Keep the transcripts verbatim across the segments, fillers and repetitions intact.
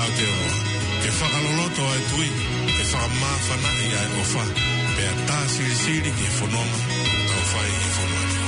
Aotearoa, ke fakaloloto ʻa e tui, ke fakamāfanaʻi ʻa e ʻofa, pea tā silisili ki he fononga ʻoku tau fai ʻi he fonua ni.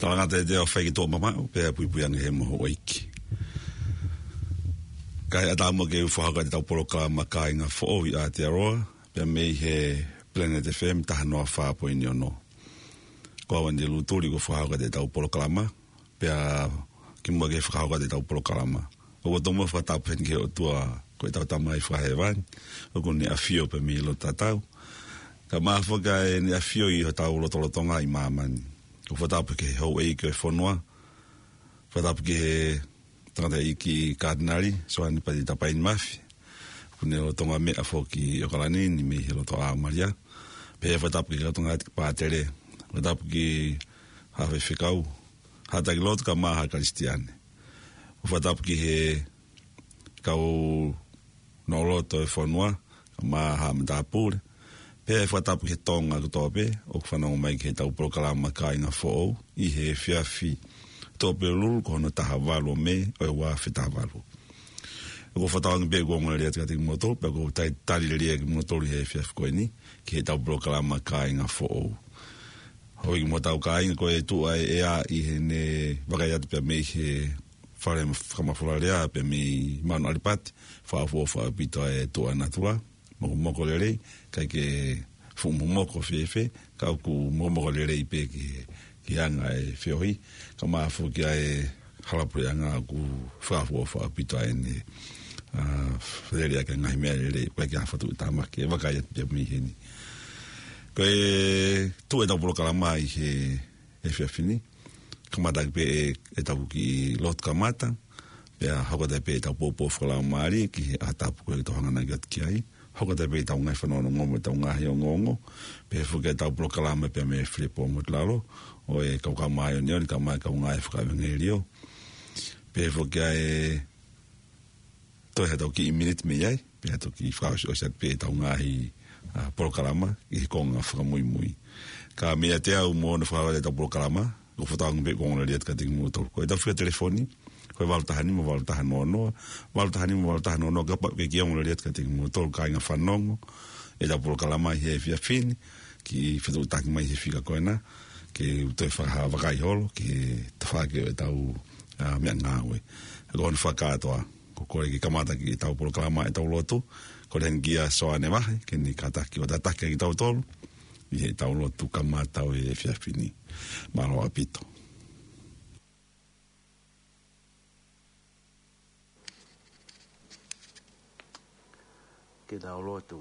Talangata e te o fai ki tō mamaʻo, pea puipui ange he moho ʻo iki. Kae ʻatā muʻa ke u fakahoko atu ʻetau polokalama Kāinga Foʻou ʻi Aotearoa, pea mei he Planet F M taha noa fā poini ono. Ko au Andy Lutuli ko e fakahoko atu ʻetau polokalama, pea kimuʻa ke fakahoko atu ʻetau polokalama, ʻoku ou tomuʻa fakatapu heni ki he ʻOtua ko ʻetau Tamai Fakahēvani, ʻoku ne ʻafio pē mei loto tatau. Kae ʻumaʻā foki ʻene ʻafio ʻi hotau lotolotonga ʻi māmani. ʻOku ou fakatapu ki he houʻeiki ʻo e fonua, fakatapu ki he tangataʻeiki Katinali Soane Pati Tapaini Mafi, ʻoku ne lolotonga meʻa foki ʻi ʻOkalani ni mei he loto ʻa Malia. Pea fakatapu ki he kau tangataʻeiki pātele, fakatapu ki he haʻa faifekau, haʻa taki lotu kae ʻumaʻā haʻa Kalisitiane. ʻOku ou fakatapu ki he kau noʻoloto ʻo e fonua, kae ʻumaʻā haʻa matāpule. Pea fakatapu ki he Tonga kotoa pē ʻoku fanongo mai ki heʻetau polokalama Kāinga Foʻou ʻi he efiafi Tuʻapulelulu ko hono taha valu ʻo Mē ʻo e ua afe taha valu. ʻOku ou fakatauange pē ʻoku ongo lelei atu kiate kimoutolu, pea ʻoku ou tali, tali lelei atu kimoutolu he efiafi ko eni ki heʻetau polokalama Kāinga Foʻou. Houʻeiki mo hotau kāinga, ko e tuʻu ʻa e ʻea ʻi heʻene vakai atu pea mei he fale fakamafola lea pea mei Mauna ʻAlipati, fakaʻofoʻofa ʻaupito ʻa e tuʻa natula, mokomoko lelei, ʻikai ke fuʻu mokomoko fēfē, ka ʻoku mokomoko lelei pē ki, ki he anga e feohi, kae ʻumaʻā foki ʻa e hala puleʻanga ʻoku fakaʻofoʻofa ʻaupito ai ʻene, ʻa, lele ʻaki e ngaahi meʻa lelei, ʻikai ke ha fatu tāmaki, ʻe vakai atu pē mei heni. Ko e tuʻu ʻetau polokalama ʻi he efiafi ni, kamata ʻaki pē ʻe, ʻetau kiʻi lotu kamata, pea hoko atu pē ʻetau poupou fakalaumālie ki he ʻaho tapu ko ē ʻoku tau hanganaki atu ki ai. Hoko atu pē ʻetau ngaahi fanongonongo mo ʻetau ngaahi ongoongo, pehē foki ʻetau polokalama pea mei Filipo Motuʻalalo, ʻo e kau kau māʻoniʻoni, kae ʻumaʻā e kau ngāue fakaʻevangeliō. Pehē foki ʻa e toe ha tau kiʻi miniti mei ai, pea toki fakaʻosiʻosi atu pē ʻetau ngaahi, ʻa, polokalama ʻi he konga fakamuimui. Ka mei ʻiate au mo hono fakahoko ʻetau polokalama, ʻoku ou fakatauange pē ʻoku ongo lelei atu kiate kimoutolu. Ko ʻetau fika telefoni, ko e valu taha nima valu taha noa noa, valu taha nima valu taha noa noa, kapau ʻoku ʻikai ke ongo lelei atu kiate kimoutolu kāinga fanongo ʻetau polokalama ʻi he efiafi ni, ke fetuʻutaki mai he fika ko ena, ke u toe fakahā vakai holo ki he tafaʻaki ʻo ʻetau, ā, meʻangāue. Ko hono fakakātoa, ko e kole ke kamata ki heʻetau polokalama ʻetau lotu, kole heni kia Soane Vahe ke ne kātaki ʻo tataki kitautolu ʻi heʻetau lotu kamata ʻo e efiafi ni. Mālō ʻaupito. Ke tau lotu.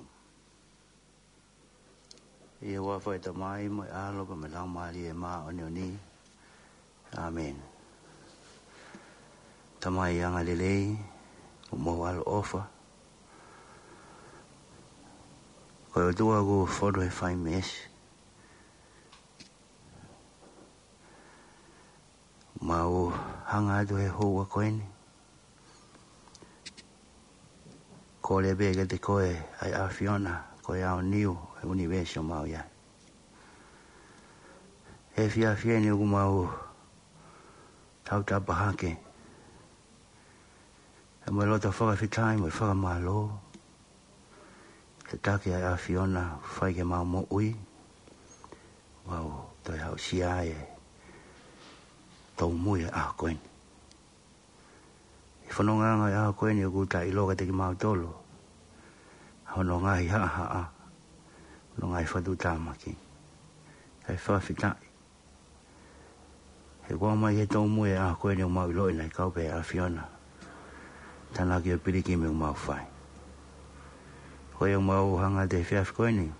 ʻI he huafa ʻo e Tamai mo e ʻAlo pea mo e Laumālie Māʻoniʻoni. ʻĀmeni. Tamai angalelei, mo e ʻaloʻofa. Ko e ʻOtua ʻoku fonu he fai meesi. Mau hanga atu he houa ko eni. Kole pē kiate koe ʻa e ʻAfiona, ko e aoniu ʻo e ʻunivēsi ʻoku mau ʻi ai. He efiafi ni ʻoku mau tautapa hake. He mo e loto fakafetaʻi mo e fakamālō. Tataki ʻa e ʻAfiona, fai ke mau moʻui. Mau toe aʻusia e tōmui ʻo e ʻaho ko eni. ʻI he fonongaʻanga ʻo e ʻaho ko eni ʻoku taʻeʻiloa kiate kimautolu ʻa hono ngaahi haʻahaʻa, hono ngaahi fakatuʻutāmaki. Kae fakafetaʻi. He kuo aʻu mai ki he tōmui ʻo e ʻaho ko eni ʻoku mau ʻiloʻi naʻe kau pē ʻa e ʻAfiona. Tānaki ʻo e pilikimi ʻoku mau fai. Ko ia ʻoku mau hanga atu he efiafi ko eni.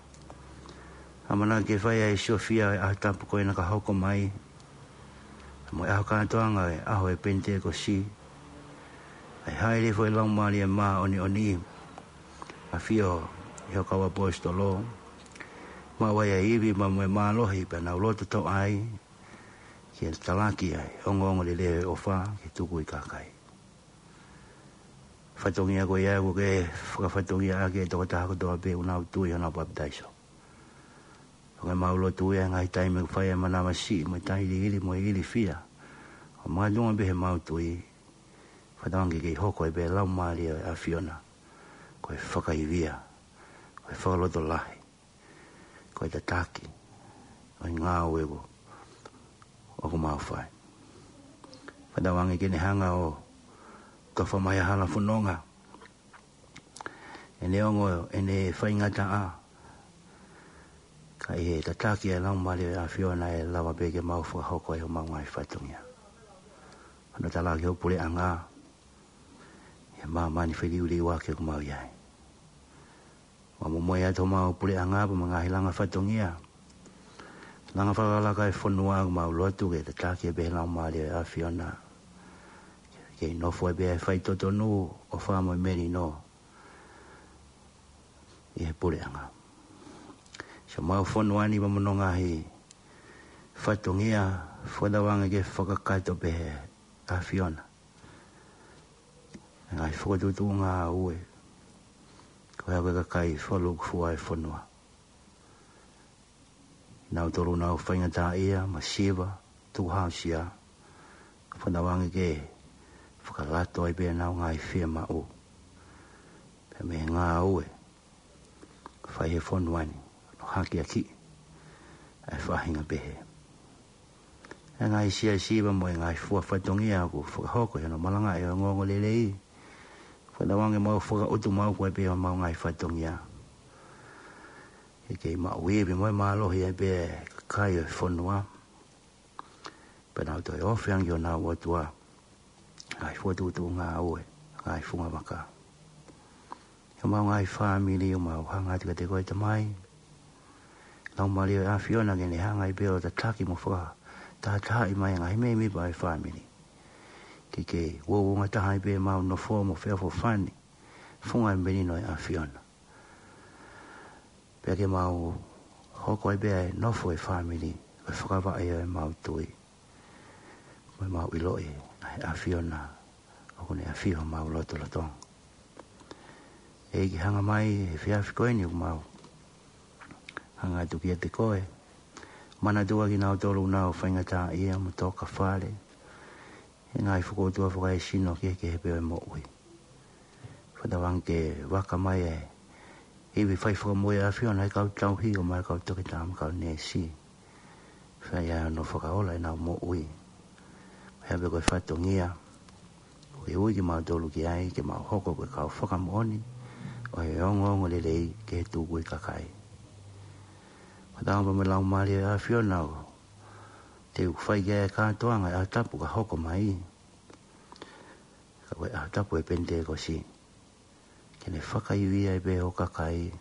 ʻAmanaki ke fai ʻa e siofia ʻo e ʻaho tapu ko ena ka hoko mai. Mo e ʻaho kātoanga ʻo e ʻaho ʻo e Penitekosi. ʻA e hāʻele foʻi Laumālie Māʻoniʻoni. ʻAfio ʻi ho kau ʻaposetolo. Maʻu ai ʻa e ivi mo e mālohi pea nau loto toʻa ai. Ke talaki ʻa e ongoongolelei ʻo e ʻofa ke tuku ʻi he kakai. Fatongia ko ia ʻoku ke fakafatongia ʻaki e tokotaha kotoa pē ʻoku nau tui ʻi hono papitaiso. Ko e mau lotu ia ʻi he ngaahi taimi ʻoku fai ai e manavasiʻi mo e tailiili mo e ilifia. ʻO makatuʻunga pē he mau tui. Fakatauange ke kei hoko ai pē Laumālie ʻo e ʻAfiona. Ko e fakaivia. Ko e fakalotolahi. Ko e tataki ʻo e ngāue ʻoku mau fai. Fakatauange ke ne hanga ʻo tofa mai ʻa e hala fononga. ʻEne ongo, ʻene faingataʻa. Ka ʻi he tataki ʻa e Laumālie ʻo e ʻAfiona ʻe lava pē ke mau fakahoko ai homau ngaahi fatongia. Hono talaki ho puleʻanga. ʻI he māmani feliuliuaki ʻoku mau ʻi ai. Mau momoʻi atu homau puleʻanga pea mo e ngaahi langa fatongia. Langa fakalakalaka e fonua ʻoku mau lotu ke tataki pē he Laumālie ʻo e ʻAfiona. Ke nofo ai pē ʻa e faitotonu, ʻofa mo e melino. ʻI he puleʻanga. Siʻomau fonua ni pea mo hono ngaahi fatongia fakatauange ke fakakakato pē he ʻAfiona. Ngaahi fokotuʻutuʻu ngāue. Ko e hā ko e kakai fakalūkufua ʻo e fonua. Nautolu ʻoku nau faingataʻaʻia, masiva, tukuhāusia. Fakatauange ke fakalato ai pē ʻenau ngaahi fiemaʻu. Pea mo e ngāue. Fai he fonua ni. Hono hakeakiʻi. ʻA e faʻahinga pehē. ʻA e ngaahi siasi pea mo e ngaahi fua fatongia ʻoku fakahoko ʻi hono malangaʻi ʻo e ongoongolelei. Fakatauange mau fakaʻutu mau ko ē pē homau ngaahi fatongia. Ke kei maʻu ivi mo e mālohi ai pē ʻa e kakai ʻo e fonua. Pea nau toe ofi ange ʻo nau ʻOtua. Ngaahi fokotuʻutuʻu ngāue, ngaahi fungavaka. Homau ngaahi fāmili ʻoku mau hanga atu kiate koe Tamai. Laumālie ʻo e ʻAfiona ke ne hanga ai pē ʻo tataki mo fakatahatahaʻi mai ngaahi mēmipa ʻo e fāmili. Ke kei uouangataha ai pē mau nofo mo feʻofoʻofani. Funga e melino ʻo e ʻAfiona. Pea ke mau hoko ai pē ʻa e nofo ʻo e fāmili, ʻo e fakavaʻe ʻo e mau tui. Mo e mau ʻiloʻi, ʻa e ʻAfiona, ʻoku ne ʻafio homau lotolotonga. ʻEiki hanga mai, he efiafi ko eni ʻoku mau. Hanga atu kiate koe. Manatua kinautolu ʻoku nau faingataʻaʻia mo tō ka fale. He ngaahi fokoutua fakaesino kehekehe pē ʻo e moʻui. Fakatauange ke vaka mai e ivi fai fakamoʻui ʻa e ʻAfiona ʻa e kau tauhi ʻo mai kau toketā mo e kau neesi. Fai ai hono fakaola ʻenau moʻui. Pea pē ko e fatongia ʻoku ke ui kimautolu ki ai, ke mau hoko ko e kau fakamoʻoni ʻo e ongoongolelei ki he tukui kakai. Fakatauange pē mo e Laumālie ʻo e ʻAfiona ʻoku te u fai ki ai e kātoanga ʻi he ʻaho tapu ka hoko mai. Ka ko e ʻaho tapu ʻo e Penitekosi, ke ne fakaivia ai pē ho kakai,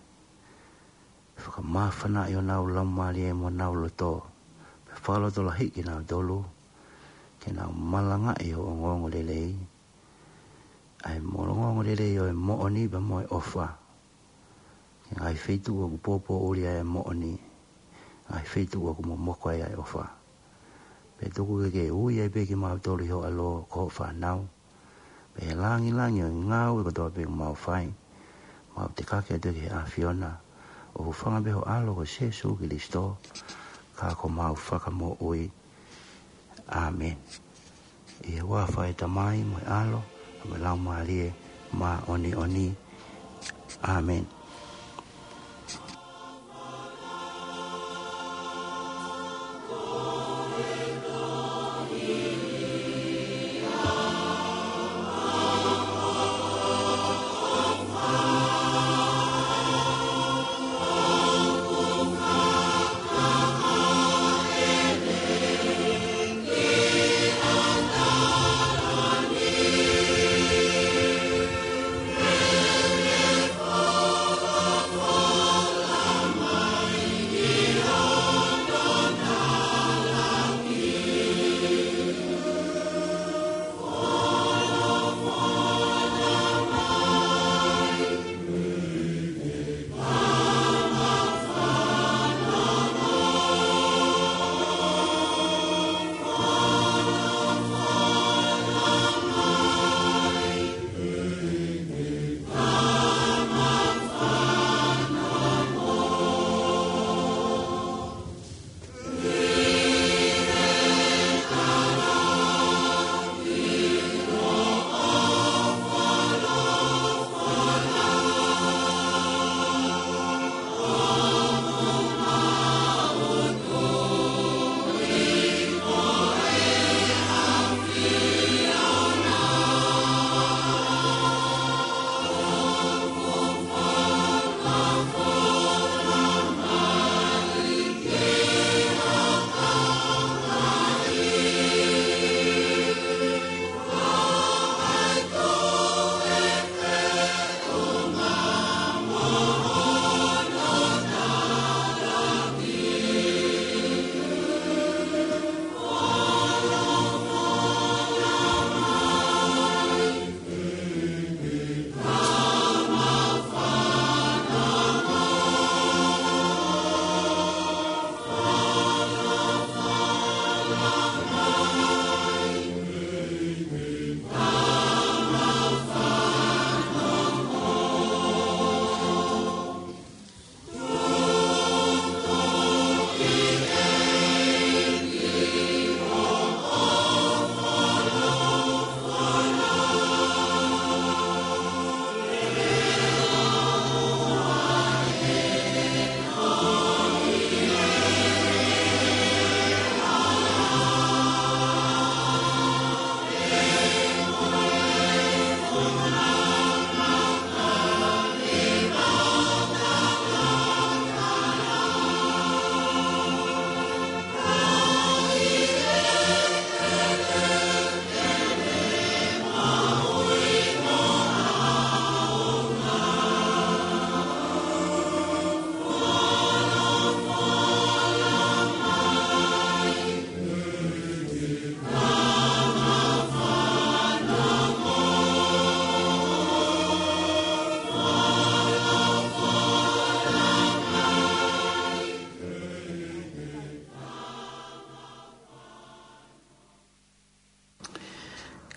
fakamāfanaʻi honau laumālie mo honau loto, pea fakalotolahiʻi kinautolu ke nau malangaʻi ho ongoongolelei, ʻa e ongoongolelei ʻo e moʻoni pea mo e ʻofa, ki he ngaahi feituʻu ʻoku pōpōʻuli ai e moʻoni, ngaahi feituʻu ʻoku momoko ai ʻa e ʻofa. Pea tuku ke ke ui ai pē kimautolu ʻi ho ʻAlo ko hoʻo fānau, pea ʻi he langilangi ʻo e ngāue kotoa pē ʻoku mau fai, mau tekaki atu ki he ʻAfiona, ʻo hūfanga pē ho ʻAlo ko Sīsū Kalaisi, ka ko homau Fakamoʻui. ʻĀmeni. ʻI he huafa ʻo e Tamai mo e ʻAlo mo e Laumālie Māʻoniʻoni. ʻĀmeni.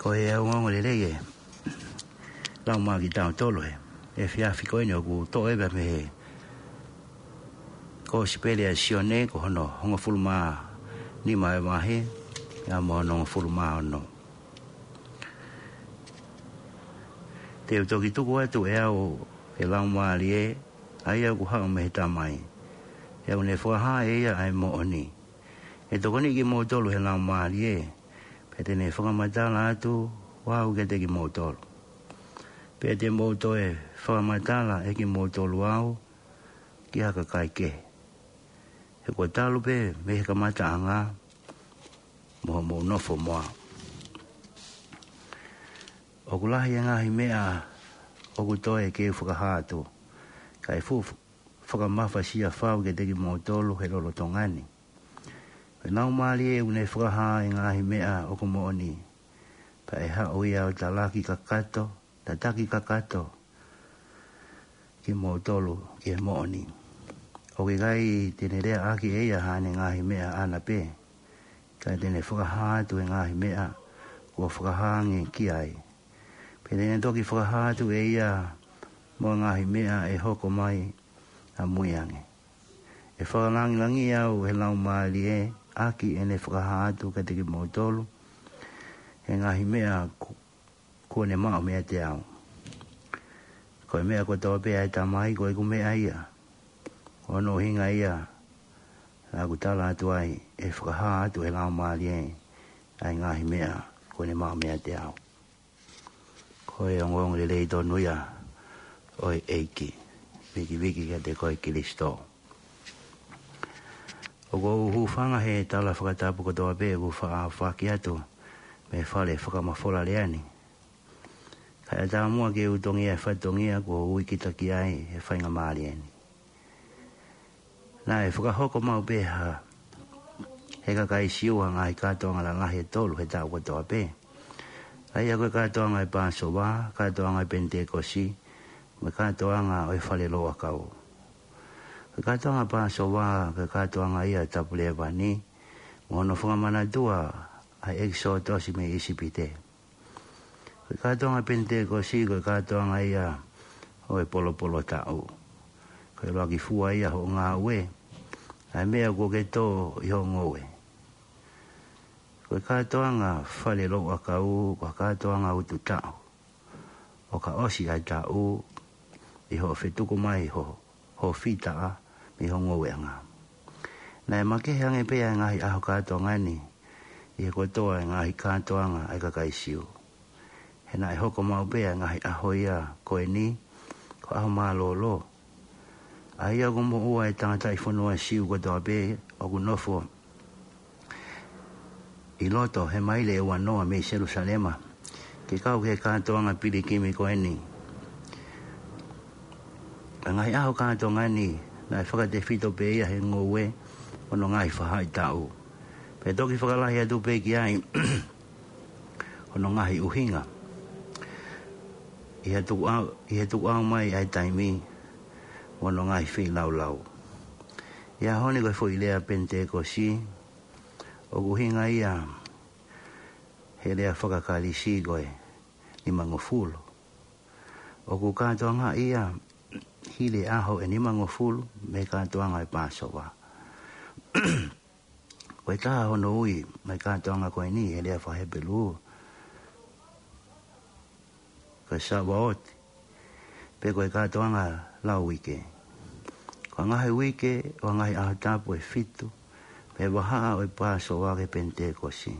Ko e ongoongolelei ʻe lau mai kiate kitautolu he efiafi ko eni ʻoku toʻo ʻe pē mei he Kosipeli ʻa Sione, ko hono hongofulu mā nima ʻo e vahe, pea mo hono hongofulu mā ono. Te u toki tuku atu ʻe au ʻa e Laumālie, ʻa ia ʻoku haʻu mei he Tamai, he ʻoku ne fakahā ʻe ia ʻa e moʻoni. ʻE tokoniʻi kimoutolu ʻe he Laumālie, pea te ne fakamatala atu au kiate kimoutolu. Pea te mou toe fakamatala ʻe kimoutolu au ki ha kakai kehe, he kuo talu pē mei he kamataʻanga mo hoʻomou nofo mo au. ʻOku lahi e ngaahi meʻa ʻoku toe ke u fakahā atu, kae fuʻu fakamafasia fau kiate kimoutolu he lolotonga ni. Ko e Laumālie ʻoku ne fakahā e ngaahi meʻa ʻoku moʻoni, pea ʻe haʻu ia ʻo talaki kakato, tataki kakato kimoutolu ki he moʻoni. ʻOku ʻikai te ne leaʻaki ʻe ia haʻane ngaahi meʻa ʻaʻana pē, ka te ne fakahā atu e ngaahi meʻa kuo fakahā ange ki ai. Pea te ne toki fakahā atu ʻe ia mo e ngaahi meʻa ʻe hoko mai ʻamui ange. ʻE fakalāngilangiʻi au ʻe he Laumālie ʻaki ʻene fakahā atu kiate kimoutolu e ngaahi meʻa ku-, kuo ne maʻu meiate au. Ko e meʻa kotoa pē ʻa e Tamai ko ʻeku meʻa ia. Ko hono ʻuhinga ia naʻa ku tala atu ai ʻe fakahā atu ʻe he Laumālie ʻa e ngaahi meʻa kuo ne maʻu meiate au. Ko e ongoongolelei tonu ia ʻo e ʻEiki. Vikiviki kiate koe Kilisitō. ʻOku ou hūfanga he tala fakatapu kotoa pē ʻoku faʻa foaki atu mei he fale fakamafola lea ni. Kae ʻatā muʻa ke u tongia e fatongia kuo ui kita ki ai ʻe he faingamālie ni. Naʻe fakahoko maʻu pē ʻe he kakai Siu ʻa e ngaahi kātoanga lalahi ʻe tolu he taʻu kotoa pē. ʻA ia ko e kātoanga ʻo e Pāsova, kātoanga ʻo e Penitekosi, mo e kātoanga ʻo e Fale Louʻakau. Ko e kātoanga Pāsova, ko e kātoanga ia ʻo e Tapu Lēvani, mo hono fakamanatua ʻa e ʻEkisotosi mei ʻIsipite. Ko e kātoanga Penitekosi, ko e kātoanga ia ʻo e Polopolo Taʻu. Ko e ʻuluaki fua ia hoʻo ngāue, ʻa e meʻa kuo ke tō ʻi hoʻo ngoue. Ko e kātoanga Fale Louʻakau, ko e kātoanga utu taʻu. ʻO ka ʻosi ʻa e taʻu, ʻi hoʻo fetuku mai ho, ho fitaʻa mei ho ngoueʻanga. Naʻe makehe ange pē ʻa e ngaahi ʻaho kātoanga ni ʻi he kotoa e ngaahi kātoanga ʻa e kakai Siu. He naʻe hoko maʻu pē ʻa e ngaahi ʻaho ia ko eni ko e ʻaho mālōlō. ʻA ia ʻoku moʻua e tangataʻi fonua Siu kotoa pē ʻoku nofo ʻi loto he maile ʻe uanoa mei Selusalema, ke kau ki he kātoanga pilikimi ko eni. ʻA e ngaahi ʻaho kātoanga ni, naʻe fakatefito pē ia he ngoue ʻo hono ngaahi faʻahitaʻu. Pea toki fakalahi atu pē ki ai hono ngaahi ʻuhinga. ʻI he tukuʻau, ʻi he tukuʻau mai ʻa e taimi mo hono ngaahi feilaulau. ʻI he ʻaho ni ko e foʻi lea Penitekosi, ʻoku ʻuhinga ia he lea faka-Kalisi ko e nimangofulu. ʻOku kātoanga ia hili e ʻaho ʻe nimangofulu mei he kātoanga ʻo e Pāsova. Ko e taha hono ui mei he kātoanga ko eni he lea faka-Hepelū, ko e Savaoti, pe ko e kātoanga lau uike. Ko e ngaahi uike ʻo e ngaahi ʻaho tapu ʻe fitu, mei he vahaʻa ʻo e Pāsova ki he Penitekosi.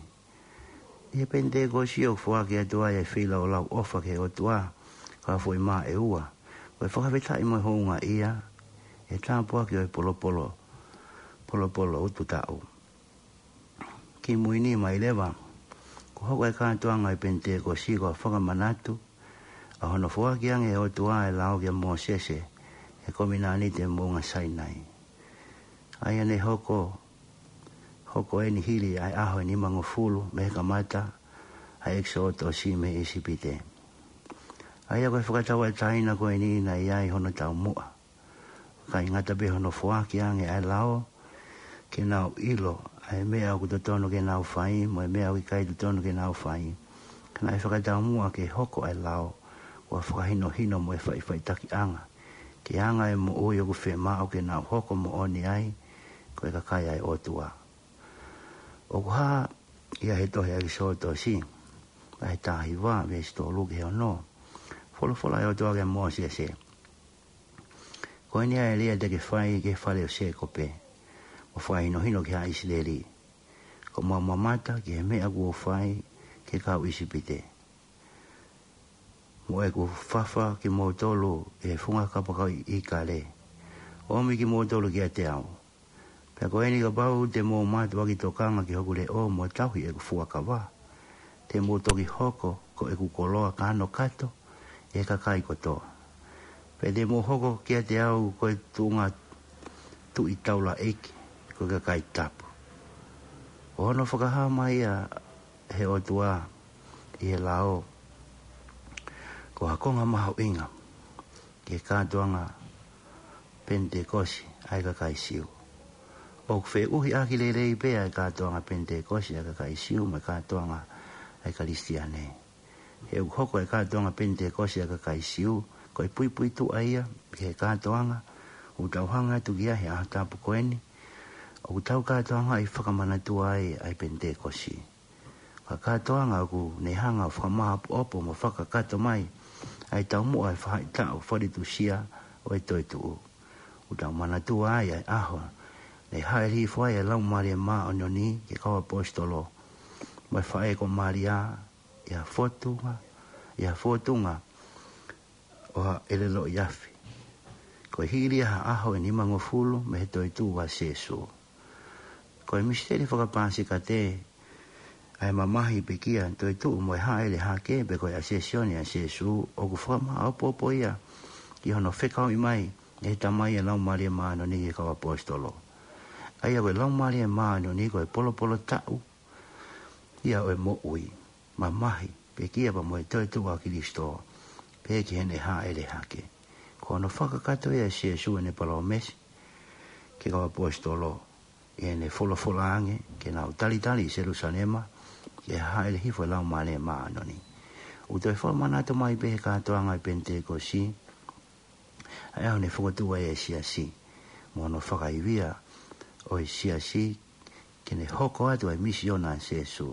ʻI he Penitekosi ʻoku foaki atu ai e feilaulau ʻofa ki he ʻOtua, ko e foʻi mā ʻe ua. Ko e fakafetaʻi mo e houngaʻia, e tāpuaki ʻo e polopolo, polopolo utu taʻu. Kimui ni mai leva, kuo hoko e kātoanga ʻo e Penitekosi ko e fakamanatu ʻa hono foaki ange ʻe he ʻOtua e lao kia Mōsese, he kominanite moʻunga Sainai. ʻA ia ne hoko, hoko eni hili ʻa e ʻaho ʻe nimangofulu mei he kamata ʻa e ʻEkisotosi mei ʻIsipite. ʻA ia ko e fakatauʻatāina ko eni naʻe ʻi ai hono taumuʻa. ʻIkai ngata pē hono foaki ange ʻa e lao, ke nau ʻilo ʻa e meʻa ʻoku totonu ke nau fai, mo e meʻa ʻoku ʻikai totonu ke nau fai. Ka naʻe fakataumuʻa ke hoko ʻa e lao, ʻo fakahinohino mo e faʻifaʻitakiʻanga, ke anga e moʻui ʻoku fiemaʻu ke nau hoko moʻoni ai, ko e kakai ʻa e ʻOtua. ʻOku hā ia he tohi ʻa ʻEkisotosi, vahe taha hiva, veesi tolu ki he ono. Folofola ʻa e ʻOtua kia Mōsese. Ko eni ʻa e lea te ke fai ki he fale ʻo Sēkope, ʻo fakahinohino ki haʻa ʻIsileli. Ko ʻemau mamata ki he meʻa kuo fai ki he kau ʻIsipite, mo ʻeku fafa kimoutolu ʻi he funga kapakau ʻi ʻIkale, ʻo ʻomi kimoutolu kiate au. Pea ko eni, kapau te mou mātuʻaki tokanga ki hoku leʻo mo tauhi ʻeku fuakava, te mou toki hoko ko ʻeku koloa kanokato ʻi he kakai kotoa. Pea te mou hoko kiate au ko e tuʻunga tuʻi taulaʻeiki, ko e kakai tapu. Ko hono fakahā mai ia ʻe he ʻOtua ʻi he lao, ko ha konga mahuʻinga ki he kātoanga Penitekosi ʻa e kakai Siu. ʻOku feʻuhiʻaki lelei pē ʻa e kātoanga Penitekosi ʻa e kakai Siu mo e kātoanga ʻa e Kalisitiane. He ʻoku hoko e kātoanga Penitekosi ʻa e kakai Siu ko e puipuituʻa ia ʻi he kātoanga ʻoku tau hanga atu ki ai he ʻaho tapu ko eni, ʻoku tau kātoangaʻi fakamanatua ai ʻa e Penitekosi. Ko e kātoanga ʻoku ne hanga ʻo fakamāʻopoʻopo mo fakakakato mai ʻa e taumuʻa ʻo e faʻahitaʻu faletusia ʻo e toetuʻu. ʻOku tau manatua ai ʻa e ʻaho ne hāʻele hifo ai e Laumālie Māʻoniʻoni ki he kau ʻaposetolo mo e faʻē ko Malia, ʻi ha fōtunga, ʻi ha fōtunga ʻo ha ʻelelo ʻi afi. Ko e hili ia ha ʻaho ʻe nimangofulu mei he toetuʻu ʻa Sīsū. Ko e misiteli faka-Pāsika ʻa e mamahi pekia, toetuʻu mo e hāʻele hake, pe ko e Asesioni ʻa Sīsū, ʻoku fakamāʻopoʻopo ia ki hono fekauʻi mai ʻe he Tamai e Laumālie Māʻoniʻoni ki he kau ʻaposetolo. ʻA ia ko e Laumālie Māʻoniʻoni ko e polopolo taʻu ia ʻo e moʻui, mamahi, pekia pea mo e toetuʻu ʻa Kalaisi, pea ki heʻene hāʻele hake. Ko hono fakakakato ia ʻe Sīsū ʻene palōmesi ki he kau ʻaposetolo, ʻi heʻene folofola ange ke nau talitali ʻi Selūsalema ki he hāʻele hifo e Laumālie Māʻoniʻoni. ʻOku toe fakamanatu mai pē he kātoanga ʻo e Penitekosi ʻa e ʻaho ne fokotuʻu ai e siasi, mo hono fakaivia ʻo e siasi ke ne hoko atu ʻa e misiona ʻa Sīsū,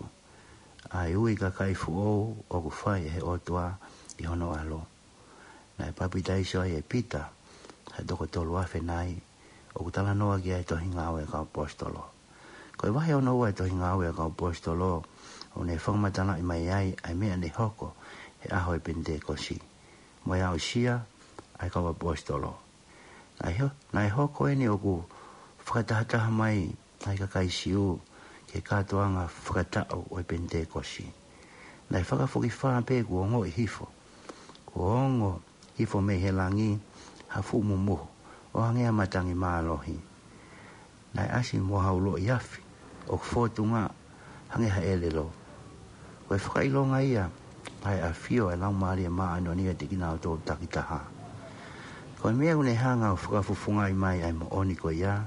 ʻa e ui kakai foʻou ʻoku fai ʻe he ʻOtua ʻi hono ʻAlo. Naʻe papitaiso ai ʻe Pita ha toko tolu afe nai, ʻoku talanoa ki ai e Tohi Ngāue ʻa e kau ʻaposetolo. Ko e vahe hono ua e Tohi Ngāue ʻa e kau ʻaposetolo, ʻoku ne fakamatalaʻi mai ai ʻa e meʻa ne hoko he ʻaho e Penitekosi mo e aʻusia ʻa e kau ʻaposetolo. Naʻe ho-, naʻe hoko eni ʻoku fakatahataha mai ʻa e kakai Siu ki he kātoanga fakataʻu ʻo e Penitekosi. Naʻe fakafokifā pē kuo ongoʻi hifo, kuo ongo hifo mei he langi ha fuʻu mumuhu ʻo hangē ha matangi mālohi. Naʻe ʻasi mo ha uloʻi afi ʻoku fōtunga hangē ha ʻelelo. Ko e fakaʻilonga ia ʻa e ʻafio ʻa e Laumālie Māʻoniʻoni ʻiate kinautolu takitaha. Ko e meʻa ʻoku ne hanga ʻo fakafufungaʻi mai ʻa e moʻoni ko ia,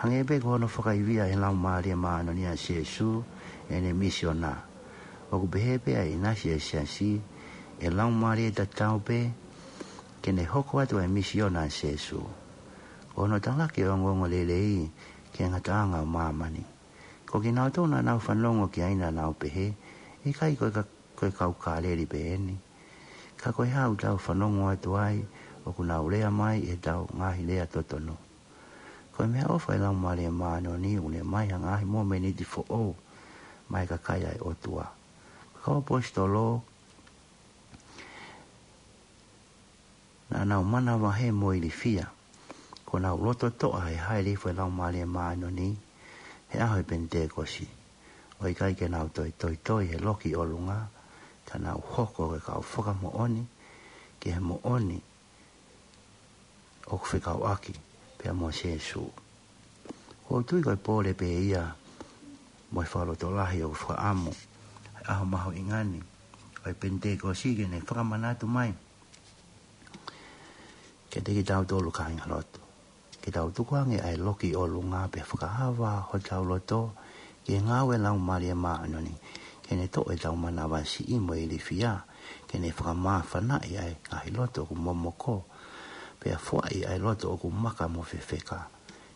hangē pē ko hono fakaivia ʻe he Laumālie Māʻoniʻoni ʻa Sīsū ʻene misiona. ʻOku pehē pē ʻa e ʻinasi ʻa e siasi, ʻe laumālie tatau pē ke ne hoko atu ʻa e misiona ʻa Sīsū. Ko hono talaki ʻo e ongoongolelei ki he ngataʻanga ʻo māmani. Ko kinautolu naʻa nau fanongo ki ai naʻa nau pehē, ʻikai ko e ka-, ko e kau Kāleli pē eni. Ka ko e hā ʻoku tau fanongo atu ai ʻoku nau lea mai ʻi heʻetau ngaahi lea totonu? Ko e meʻaʻofa ʻa e Laumālie Māʻoniʻoni ʻoku ne ʻomai ha ngaahi momeniti foʻou maʻa e kakai ʻa e ʻOtua. Ko e kau ʻaposetolo naʻa nau manavahē mo ilifia, kuo nau loto toʻa he hāʻele hifo e Laumālie Māʻoniʻoni he ʻaho e Penitekosi. ʻO ʻikai ke nau toe toitoi he loki ʻi ʻolunga, ka nau hoko ko e kau fakamoʻoni ki he moʻoni ʻoku fekauʻaki pea mo Sīsū. ʻOku ou tui ko e pole pē ia mo e fakalotolahi ʻoku fakaʻamu ʻa e ʻaho mahuʻinga ni ʻo e Penitekosi ke ne fakamanatu mai kiate kitautolu kāingalotu, ke tau tukuange ʻa e loki ʻi ʻolunga pea fakaava hotau loto ki he ngāue ʻa e Laumālie Māʻoniʻoni, ke ne toʻo ʻetau manavasiʻi mo e ilifia, ke ne fakamāfanaʻi ʻa e ngaahi loto ʻoku momoko, pea foaʻi ʻa e loto ʻoku maka mo fefeka,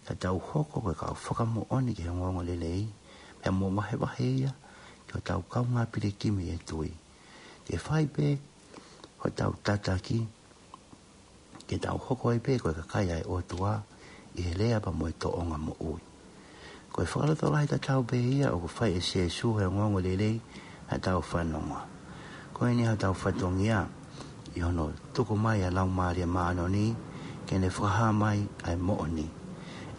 ka tau hoko ko e kau fakamoʻoni ki he ongoongolelei, pea mo vahevahe ia ki hotau kaungā pilikimi ʻi he tui. Ke fai pē hotau tataki, ke tau hoko ai pē ko e kakai ʻa e ʻOtua ʻi he lea pea mo e tōʻonga moʻui. Ko e fakalotolahi tatau pē ia ʻoku fai ʻe Sīsū he ongoongolelei ʻa ʻetau fanongoa. Ko eni hotau fatongia ʻi hono tuku mai ʻa e Laumālie Māʻoniʻoni ke ne fakahā mai ʻa e moʻoni.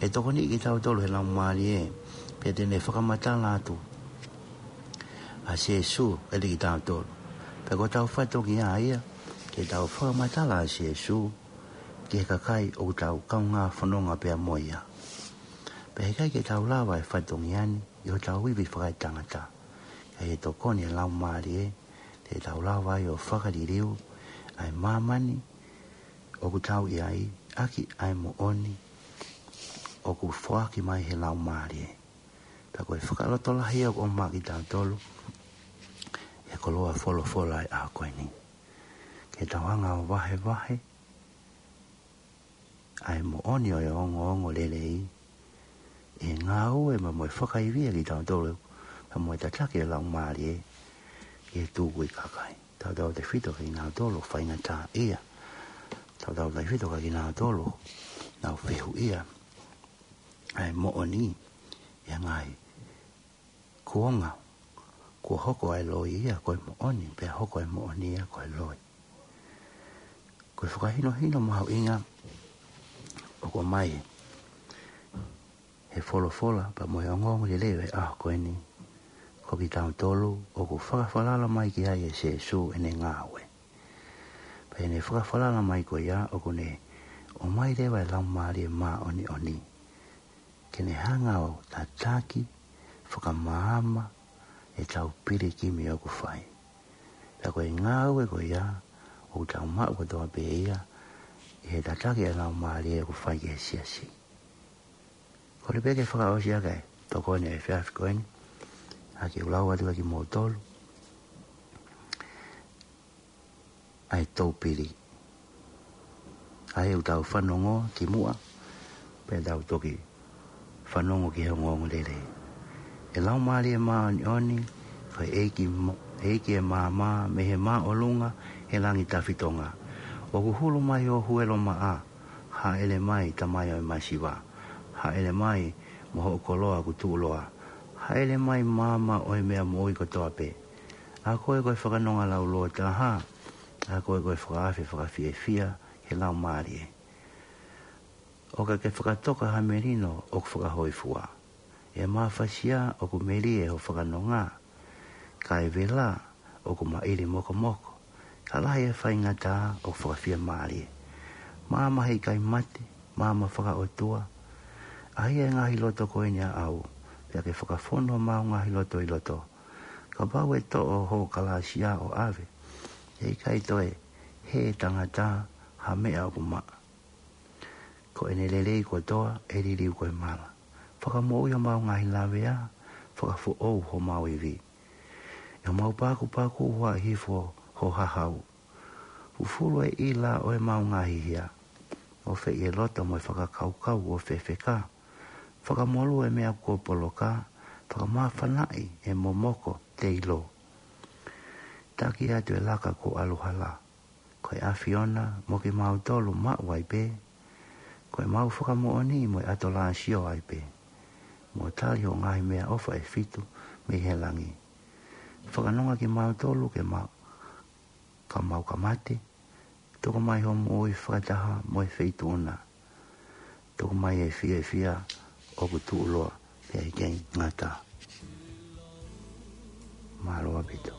ʻE tokoniʻi kitautolu he Laumālie, pea te ne fakamatala atu ʻa Sīsū kiate kitautolu. Pea ko hotau fatongia ia ke tau fakamatala ʻa Sīsū ki he kakai ʻoku tau kaungā fononga pea mo ia. Pea heʻikai ke tau lava e fatongia ni ʻi hotau ivi fakaetangata. Ka ʻi he tokoni ʻa e Laumālie, te tau lava ai ʻo fakaliliu ʻa e māmani ʻoku tau ʻi ai, ʻaki ʻa e moʻoni ʻoku foaki mai he Laumālie. Pea ko e fakalotolahi ʻoku ʻomai kiate kitautolu he koloa folofola ʻo e ʻaho ko eni, ke tau hanga ʻo vahevahe ʻa e moʻoni ʻo e ongoongolelei, ʻi he ngāue mo e fakaivia kitautolu, pea mo e tataki ʻa e Laumālie ki he tukui kakai. Tautautefito kia kinautolu ʻoku faingataʻaʻia. Tautautefito kia kinautolu ʻoku nau fehuʻia ʻa e moʻoni ʻi he ngaahi kuonga kuo hoko ʻa e loi ia ko e moʻoni, pea hoko ʻa e moʻoni ia ko e loi. Ko e fakahinohino mahuʻinga ʻoku ʻomai he folofola pea mo e ongoongolelei ʻo e ʻaho ko eni, ko kitautolu ʻoku fakafalala mai ki ai ʻa Sīsū ʻene ngāue. Pea ʻi heʻene fakafalala mai ko ia ʻoku ne ʻomai leva e Laumālie Māʻoniʻoni ke ne hanga ʻo tataki, fakamaama ʻetau pilikimi ʻoku fai. Pea ko e ngāue ko ia ʻoku tau maʻu kotoa pē ia ʻi he tataki ʻa e Laumālie ʻoku fai ki he siasi. Kole pē ke fakaʻosi ʻaki e tokoni ʻa e efiafi ko eni, ʻa ke u lau atu kia kimoutolu ʻa e toupili ʻa ia ʻoku tau fanongo ki muʻa, pea tau toki fanongo ki he ongoongolelei. ʻE Laumālie Māʻoniʻoni, ko e ʻEiki mo-, ʻEiki ʻo e maama, mei he māʻolunga, he langi tafitonga. ʻOku hulu mai ho huelo maʻa, hāʻele mai Tamai ʻo e masiva. Hāʻele mai mo hoʻo koloa ʻoku tuʻuloa. Hāʻele mai maama ʻo e meʻa moʻui kotoa pē. ʻA koe ko e fakanonga laulōtaha, ʻa koe ko e fakaafe fakafiefia he Laumālie. ʻOka ke fakatoka ha melino ʻoku fakahōifua. ʻE mafasia ʻoku melie ho fakanonga. Kae vela ʻoku maʻili mokomoko. Ka lahi e faingataʻa ʻoku fakafiemālie. Maama heʻikai mate, maama fakaʻotua. ʻAhia e ngaahi loto ko eni ʻaʻau, pea ke fakafonu homau ngaahi loto ʻi loto. Kapau ʻe toʻo ho kalāsia ʻo ʻave, ʻe ʻikai toe hē ʻe tangata ha meʻa ʻoku maʻa. Ko ʻene lelei kotoa ʻe liliu ko e mala. Fakamoʻui homau ngaahi lavea, fakafoʻou homau ivi. ʻI homau pakupaku huaʻi hifo ho hahau. Fufulu e ʻila ʻo ʻemau ngaahi hia. ʻOfeʻi e loto mo e fakakaukau ʻo fefeka. Fakamolū e meʻa kuo poloka, fakamāfanaʻi e momoko teilo. Taki atu e laka kuo ʻalu hala. Ko e ʻAfiona mo kimautolu maʻu ai pē. Ko ʻemau fakamoʻoni mo e ʻatolāsio ai pē. Mo tali ho ngaahi meʻaʻofa ʻe fitu mei he langi. Fakanonga kimautolu ke ma-, ka mau ka mate, tuku mai ho moʻui fakataha mo e feituʻu na. Tuku mai e fiefia ʻoku tuʻuloa pea ʻikai ngata. Mālō ʻaupito.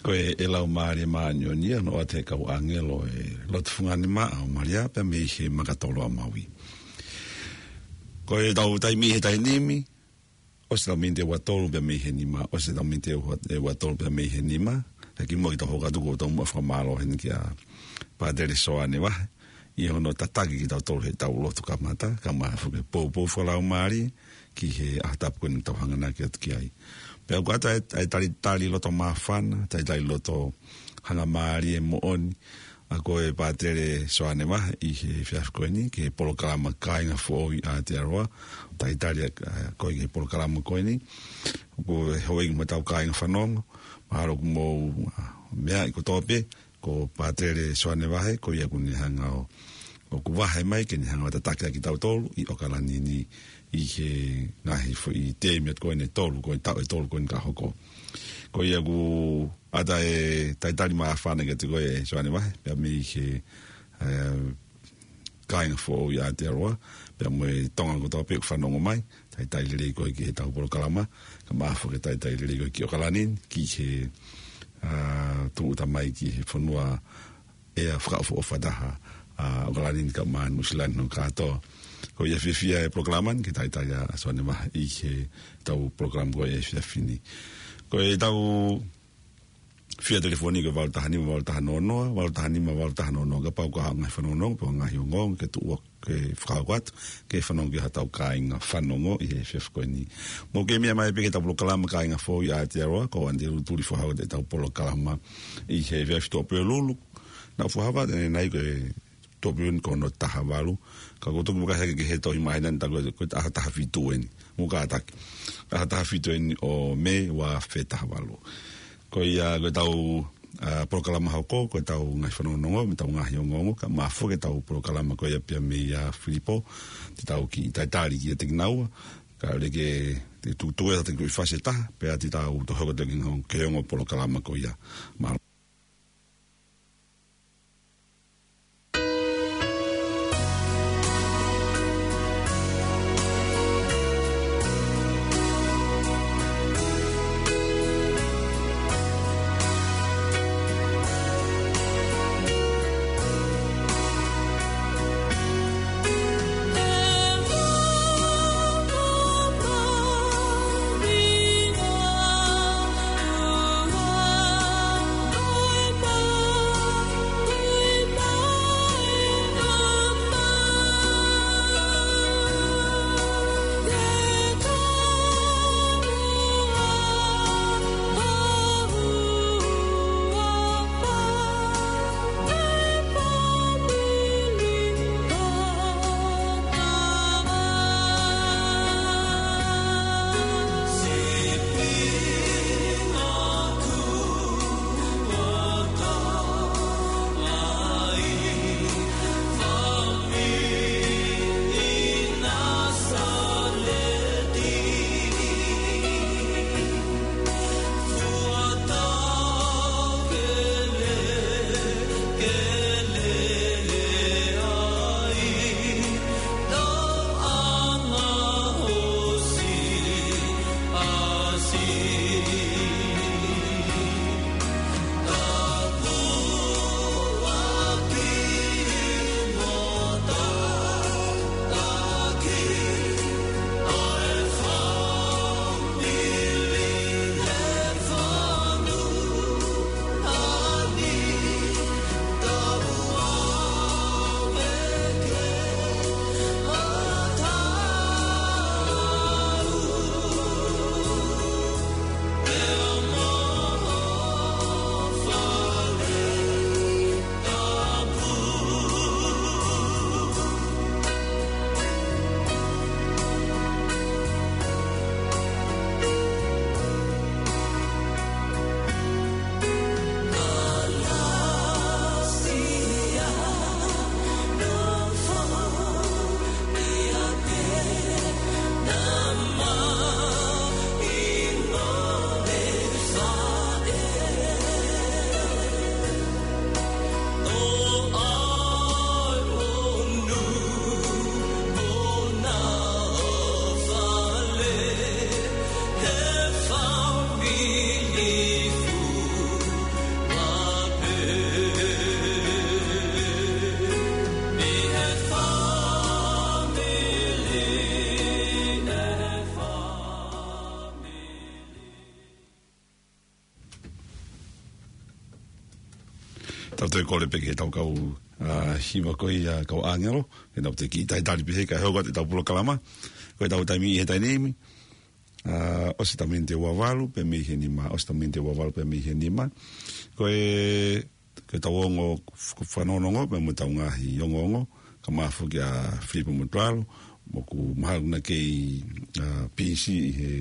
Ko e, ʻe Laumālie Māʻoniʻoni ia, ʻoku ʻoatu ʻe he kau ʻāngelo e lotu fungani maʻa ʻo Malia, pea mei he makatolo ʻa Maui. Ko ʻetau taimi he taimi ni, ʻosi ʻetau miniti ʻe ua tolu pea mei he nima, ʻosi ʻetau miniti ʻe ua, ʻe ua tolu pea mei he nima, ka kimuʻa ke tau hoko atu ʻoku ou tau muʻa fakamālō heni kia Pātele Soane Vahe, ʻi hono tataki kitautolu heʻetau lotu kamata, kae ʻumaʻā foki e poupou fakalaumālie, ki he ʻaho tapu ko eni ʻoku tau hanganaki atu ki ai. Pea ʻoku ʻoatu ʻa e, ʻa e talitali loto māfana, talitali loto hangamālie moʻoni, ʻa ko e Pātele Soane Vahe ʻi he efiafi ko eni, ki he polokalama Kāinga Foʻou ʻi Aotearoa, talitali ʻa, ʻa, ko e ki he polokalama ko eni, ʻoku houʻeiki mo ʻetau kāinga fanongo, mahalo ʻoku mou, ʻa, meaʻi kotoa pē, ko Pātele Soane Vahe, ko ia ʻoku ne hanga ʻo, ʻoku vahe mai, ke ne hanga ʻo tataki ʻa kitautolu ʻi ʻOkalani ni ʻi he ngaahi foʻi tēmi atu ko eni ʻe tolu, ko e taʻu ʻe tolu ko eni ka hoko. Ko ia ʻoku ʻoatu e talitali māfana kiate koe Soane Vahe, pea mei he, ē, Kāinga Foʻou ʻi Aotearoa, pea mo e Tonga kotoa pē ʻoku fanongo mai, talitali lelei koe ki heʻetau polokalama, kae ʻumaʻā foki e talitali lelei koe ki ʻOkalani, ki he, ā, tūʻuta mai ki he fonua ʻea fakaʻofoʻofa taha, ā, ʻOkalani kae ʻumaʻā Nuʻusila ni hono kātoa. Ko ia fiefia e polokalama ni, ke talitali ʻa Soane Vahe ʻi heʻetau polokalama ko e efiafi ni. Ko ʻetau fia telefoni ko e valu taha nima valu taha noa noa, valu taha nima valu taha noa noa, kapau ʻoku ʻi ai ha ngaahi fanongonongo, pe ko e ngaahi ongoongo, ke tuʻu ʻo ke fakahoko atu, ke fanongo ki hotau kāinga fanongo ʻi he efiafi ko eni. Mou kei meʻa mai pē ki heʻetau polokalama Kāinga Foʻou ʻi Aotearoa, ko Antelū Tulifoha ʻoku ʻi ai ʻetau polokalama ʻi he efiafi Tuʻapulelulu. Naʻa ku fakahā atu ʻanenai ko e Tuʻapulelulu ko hono taha valu. Ka ʻoku ou toki vakai hake ki he tohi māhina ni, tā ko e, ko e ʻaho taha fitu eni. Mou kātaki. ʻAho taha fitu eni ʻo Mē ua afe taha valu. Ko ia ko ʻetau, ā, polokalama hoko, ko ʻetau ngaahi fanongonongo, mo ʻetau ngaahi ongoongo, kae ʻumaʻā foki ʻetau polokalama ko ia pea mei a Filipo, te tau kiʻi talitali kiate kinaua, kae ʻoua ke te tuʻu ʻa e tau kiʻi fasi ʻe taha, pea te tau toki hoko atu ki he ongo, ki he ongo polokalama ko ia. Mālō. Tau toe kole pē ki he tau kau, ā, hiva ko ia kau ʻāngelo, ke nau toe kiʻi talitali pē he kae hoko atu ʻetau polokalama. Ko ʻetau taimi ʻi he taimi ni, ā, ʻosi ʻetau miniti ua valu pē mei he nima, ʻosi ʻetau miniti ua valu pē mei he nima. Ko e, ko ʻetau ongo f-, fanongonongo pē mo ʻetau ngaahi ongoongo, kae ʻumaʻā foki ʻa Filipe Motuʻalo, ʻoku mahalo naʻa kei, ā, pisi ʻi he,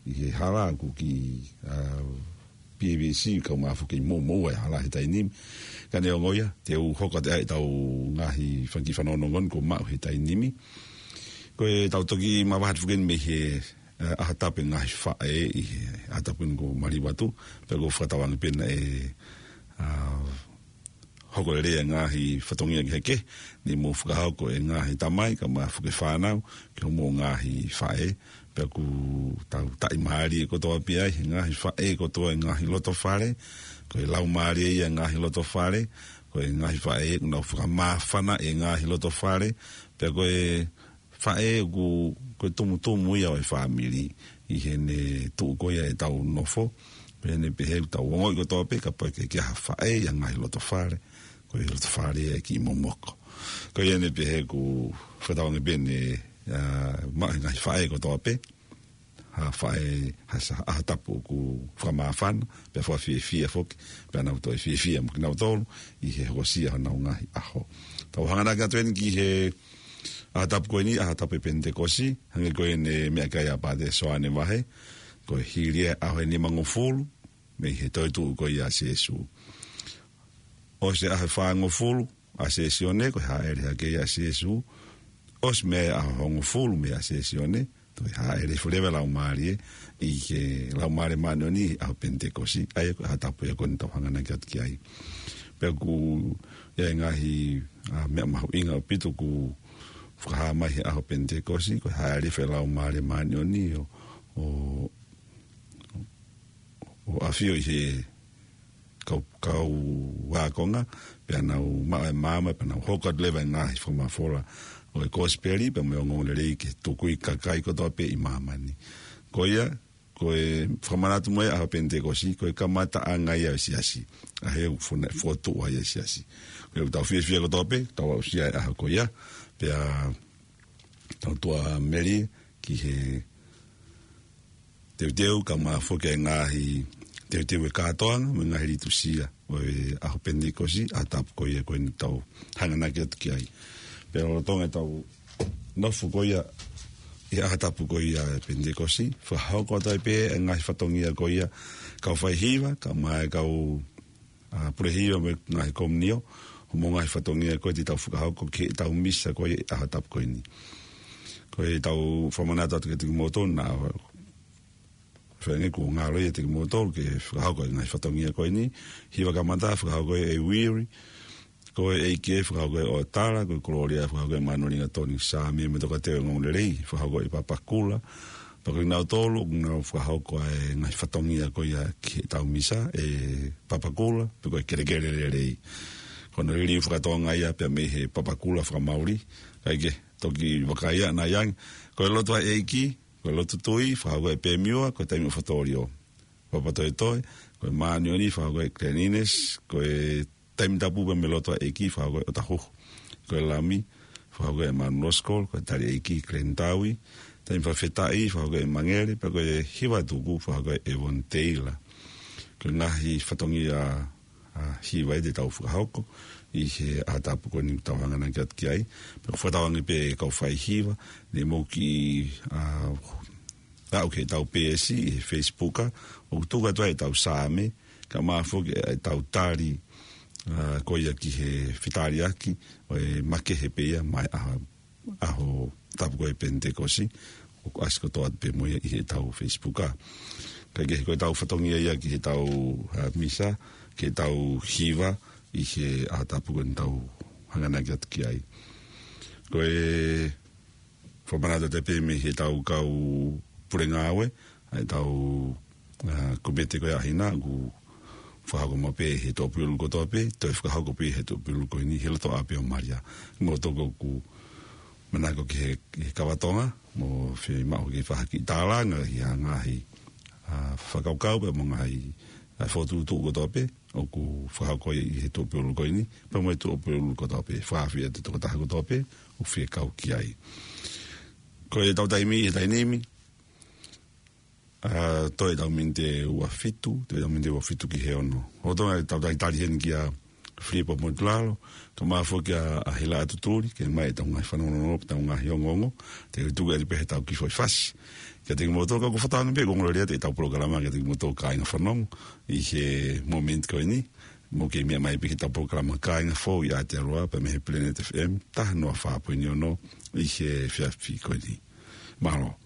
ʻi he hala ʻoku ki, ā, P B C, kae ʻumaʻā foki kei moʻumoʻua e hala he taimi ni. Ka neongo ia, te u hoko atu ʻetau ngaahi fanga kiʻi fanongonongo kuo maʻu he taimi ni. Ko ʻetau toki mavahe atu foki mei he, ā, ʻaho tapu e ngaahi faʻē ʻi he ʻaho tapu ni kuo maliu atu, pea ʻoku ou fakatauange pē naʻe, ā, hoko lelei e ngaahi fatongia kehekehe, ne mou fakahoko e ngaahi tamai, kae ʻumaʻā foki e fānau, ki hoʻomou ngaahi faʻē, pea ʻoku tau taʻimālie kotoa pē ai, he ngaahi faʻē kotoa e ngaahi loto fale, ko e laumālie ia e ngaahi loto fale, ko e ngaahi faʻē ʻoku nau fakamāfana e ngaahi loto fale, pea ko e faʻē ʻoku, ko e tumutumu ia ʻo e fāmili, ʻi heʻene tuʻu ko ia ʻetau nofo, pea ʻi heʻene pehē ʻoku tau ongoʻi kotoa pē, kapau ʻe ʻikai ke ʻi ai ha faʻē ʻi ha ngaahi loto fale, ko e loto fale ia ʻe kiʻi momoko. Ko ia ʻi heʻene pehē ʻoku fakatauange pē ne, ā, maʻu ʻe he ngaahi faʻē kotoa pē ha faʻē, ha sa-, ʻaho tapu ʻoku fakamāfana, pea fakafiefia foki, pea nau toe fiefia mo kinautolu, ʻi he hokosia honau ngaahi ʻaho. Tau hanganaki atu eni ki he ʻaho tapu ko eni, ʻaho tapu e Penitekosi, hangē ko ʻene meʻa ki ai ʻa Pātele Soane Vahe, ko e hili e ʻaho ʻe nimangofulu, mei he toetuʻu ko ia ʻa Sīsū. ʻOsi e ʻaho ʻe fāngofulu ʻa Sēsione, ko e hāʻele hake ia ʻa Sīsū. ʻOsi mei ai e ʻaho hongofulu mei ai ʻa Sēsione, toe hāʻele hifo leva e Laumālie, ʻi he Laumālie Māʻoniʻoni ʻi he ʻaho Penitekosi, ʻa ia ko e ʻaho tapu ia ko eni tau hanganaki atu ki ai. Pea ʻoku ʻi ai e ngaahi, ā, meʻa mahuʻinga ʻaupito ʻoku fakahā mai he ʻaho Penitekosi, ko e hāʻele hifo e Laumālie Māʻoniʻoni ʻo, ʻo, ʻo ʻafio ʻi he kau, kau ākonga, pea nau maʻu e maama, pea nau hoko atu leva e ngaahi fakamafola ʻo e Kosipeli, pea mo e ongoongolelei ke tukui kakai kotoa pē ʻi māmani. Ko ia, ko e fakamanatu mai ʻaho Penitekosi, ko e kamataʻanga ia ʻo e siasi. ʻA ia ʻoku fona-, fokotuʻu ai e siasi. Ko ia ʻoku tau fiefia kotoa pē, tau aʻusia e ʻaho ko ia, pea tau tuʻa melie ki he teuteu kae ʻumaʻā foki e ngaahi teuteu e kātoanga, mo e ngaahi litūsia ʻo e ʻaho Penitekosi, ʻaho tapu ko ia ko eni tau hanganaki atu ki ai. Pea lolotonga ʻetau nofo ko ia, ʻi he ʻaho tapu ko ia e Penitekosi, fakahoko atu ai pē e ngaahi fatongia ko ia, kau faihiva, kae ʻumaʻā e kau ā, pule hiva mo e ngaahi komiunio, mo e ngaahi fatongia ko ē te tau fakahoko ki heʻetau misa ko ē ʻaho tapu ko eni. Ko ʻetau fakamanatu atu kiate kimoutolu naʻa feinga kuo ngalo ia kiate kimoutolu ke fakahoko e ngaahi fatongia ko eni, hiva kamata fakahoko ʻe Uiri, ko e ʻEiki fakahoko ʻe ʻOtala, ko e Kolōlia fakahoko ʻe Manulinga Toni Sāme, mo e tokateu e ongoongolelei fakahoko ʻe Papakula, pea ko kinautolu ʻoku nau fakahoko e ngaahi fatongia ko ia ki heʻetau misa, ʻe Papakula, pe ko e Kelekele Lelei. Ko hono liliu faka-Tonga ia pea mei he Papakula faka-Mauli, kae kehe, toki vakaiʻi ʻanai ange. Ko e lotu ʻa e ʻEiki, ko e lotu tui, fakahoko ʻe Pemiua, ko e Taimi ʻo Fatōlio. Papatoetoe, ko e Māʻoniʻoni, fakahoko ʻe Glenn Innes, ko e Taimi Tapu pea mo e Lotu ʻa e ʻEiki, fakahoko ʻe ʻOtahuhu. Ko e Lami, fakahoko ʻe Manu Loskol, ko e Tali ʻEiki, Glenn Taui, Taimi Fakafetaʻi, fakahoko ʻe Mangele, pea ko e Hiva Tuku, fakahoko ʻe Evon Teila. Ko e ngaahi fatongia, ā, hiva ia te tau fakahoko, ʻi he ʻaho tapu ko eni tau hanganaki atu ki ai. Pea ʻoku fakatauange pē kau faihiva, ne mou kiʻi, ā, aʻu ki heʻetau peesi ʻi he Facebook, ʻoku tuku atu ai ʻetau Saame, kae ʻumaʻā foki ʻetau tali, ā, ko ia ki he fetaliʻaki, ʻo e makehe pē ia, mai ʻaho, ʻaho tapu ko ē Penitekosi, ʻoku ʻasi kotoa atu pē mo ia ʻi heʻetau Facebook. Kae kehe ko ʻetau fatongia ia ki heʻetau, ā, misa, ki heʻetau hiva, ʻi he ʻaho tapu ko eni tau hanganaki atu ki ai. Ko e fakamanatu atu pē mei heʻetau kau pule ngāue, ʻa ʻetau, ā, kōmiti ko ia ʻa hina, ʻoku fakahoko maʻu pē he Tuʻapulelulu kotoa pē, toe fakahoko pē he Tuʻapulelulu ko eni, he loto ʻapi ʻo Malia. Mo toko ʻoku manako ki he, ki he kava Tonga, mo fiemaʻu ke fai ha kiʻi tālanga ʻi ha ngaahi, ā, fakakaukau pea mo e ngaahi ʻa e fokotuʻutuʻu kotoa pē ʻoku fakahoko ʻi he tuʻapulelulu ko eni, pea mo e tuʻapulelulu kotoa pē, fakaafeʻi atu e tokotaha kotoa pē ʻoku fie kau ki ai. Ko ʻetau taimi ʻi he taimi ni, ʻa, toe ʻetau miniti ʻe ua fitu, toe ʻetau miniti ʻe ua fitu ki he ono. ʻOku tau talitali heni kia Filipo Motuʻulalo, kae ʻumaʻā foki ʻa, ʻa Hilaʻatutuli, ke ʻomai ʻetau ngaahi fanongonongo, ʻetau ngaahi ongoongo, te u tuku atu pē heʻetau kiʻi foʻi fasi. Kiate kimoutolu, ka ʻoku ou fakatauange pē ʻoku ongo lelei atu ʻetau polokalama kiate kimoutolu kāinga fanongo ʻi he mōmeniti ko eni, mou kei meʻa mai pē ki heʻetau polokalama Kāinga Fou ʻi Aotearoa, pea mei he Planet F M, taha noa fā poini ono ʻi he efiafi ko eni. Mālō.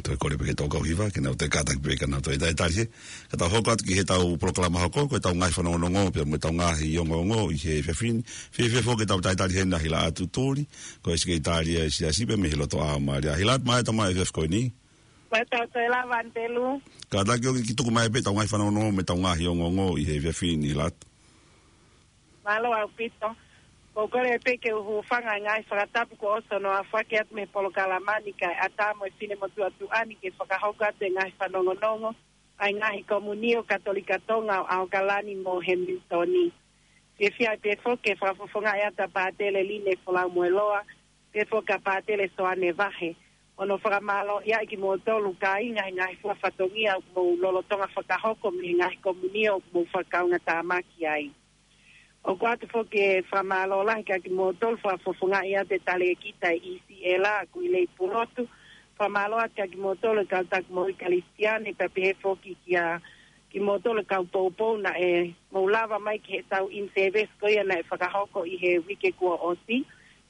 Toe kole pē ki he tau kau hiva, ke nau toe kātaki pē ka nau toe talitali heni. Ka tau hoko atu ki heʻetau polokalama hoko, ko ʻetau ngaahi fanongonongo, pea mo ʻetau ngaahi ongoongo ʻi he efiafi ni. Fēfē foki ʻetau talitali heni ʻa Hilaʻatutuli, ko e Sekelitali ʻa e Siasi pea mei he Lotoʻā ʻo Malia. Hilaʻatu, mālō e tau mai e efiafi ko eni. Mālō e tau toe lava, Anitelū. Kātaki ʻo ke tuku mai pē ʻetau ngaahi fanongonongo mo ʻetau ngaahi ongoongo ʻi he efiafi ni, Hilaʻatu. Mālō ʻaupito. ʻOku ou kole pē ke u hūfanga he ngaahi fakatapu kuo ʻosi hono aofaki atu mei he polokalama ni kae ʻatā mo e finemotuʻa tuʻa ni ke fakahoko atu e ngaahi fanongonongo ʻa e ngaahi komiunitī Katolika Tonga ʻo ʻAokalani mo Hemilitoni. Fiefia ai pē foki ke fakafofongaʻi atu ʻa Pātele Line Folaumoeloa, pea foki ʻa Pātele Soane Vahe. ʻO ne fakamālō ʻia kimoutolu kāinga he ngaahi fua fatongia ʻoku mou lolotonga fakahoko mei he ngaahi komiunitī ʻoku mou fakakaungātāmaki ai. ʻOku ʻoatu foki e fakamālō lahi kia kimoutolu fakafofongaʻi atu e talēkita ʻe ʻIsi ʻEla Kuilei Pulotu. Fakamālō atu kia kimoutolu e kau taki moʻui Kalisitiane, pea pehē foki kia kimoutolu e kau poupou naʻe mou lava mai ki heʻetau in-service ko ia naʻe fakahoko ʻi he uike kuo ʻosi.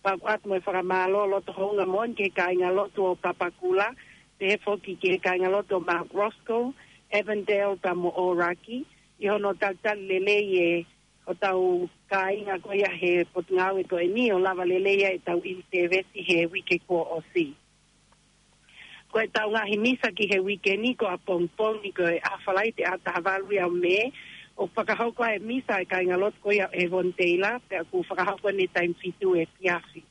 Pea ʻoatu mo e fakamālō loto houngaʻia moʻoni ki he kāingalotu ʻo Papakura, pehē foki ki he kāingalotu ʻo Mount Roskill, Avondale pea mo ʻŌlaki, ʻi hono talitali lelei ʻe hotau kāinga ko ia he potungāue ko eni ʻo lava lelei ai ʻetau in-service he uike kuo ʻosi. Ko ʻetau ngaahi misa ki he uike ni, ko ʻapongipongi ko e ʻaho Falaite ʻaho taha valu ia ʻo Mē, ʻoku fakahoko ai e misa ʻa e kāingalotu ko ia ʻo Avondale, pea ʻoku fakahoko ʻi he taimi fitu efiafi.